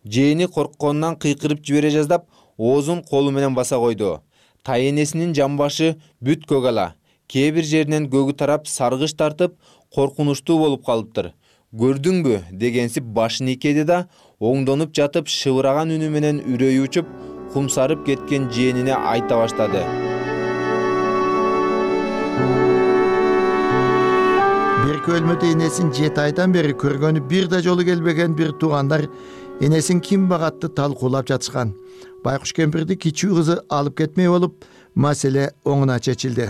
Жээни коркконунан кыйкырып жибере жаздап, оозун колу менен баса койду. Тайенесинин жамбашы бүт көк ала. Кээ бир жеринен көгү тарап, саргыч тартып, коркунучтуу болуп калыптыр. Көрдүңбү дегенсип башын ийкеди да, оңдонуп жатып шыбыраган үнү менен үрөйү учуп, кумсарып кеткен жээнине айта баштады. Берки өлмөдө энесин жети айдан бери көргөнү бир да жолу келбеген бир туугандар энесин ким багатты талкуулап жатышкан. Байкуш кемпирди кичүү кызы алып кетмей болуп, маселе оңуна чечилди.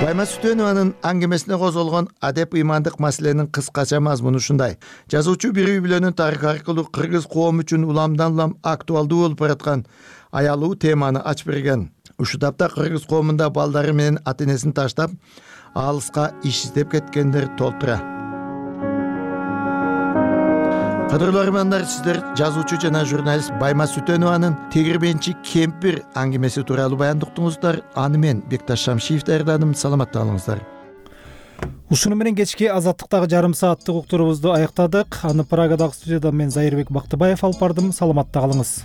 Байма Сүтөнованын аңгемесине козголгон адеп ыймандык маселенин кыскача мазмуну ушундай. Жазуучу бир үй бүлөнүн тарыхы аркылуу кыргыз коому үчүн уламдан улам актуалдуу болуп бараткан аялуу теманы ачып берген. Ушул тапта кыргыз коомунда балдары менен ата энесин таштап, алыска иш издеп кеткендер толтура. Кадырлуу армандар, сиздер жазуучу жана журналист Байма Сүтөнованын Тегирменчи кемпир аңгемеси тууралуу баяндыктыңыздар. Аны мен Бекташ Шамшиев даярдадым. Саламатта болуңуздар. Ушуну менен кечки Азаттыктагы жарым сааттык уктурубузду аяктадык. Аны Прагадагы студияда мен Зайырбек Бактыбаев алып бардым. Саламатта калыңыз.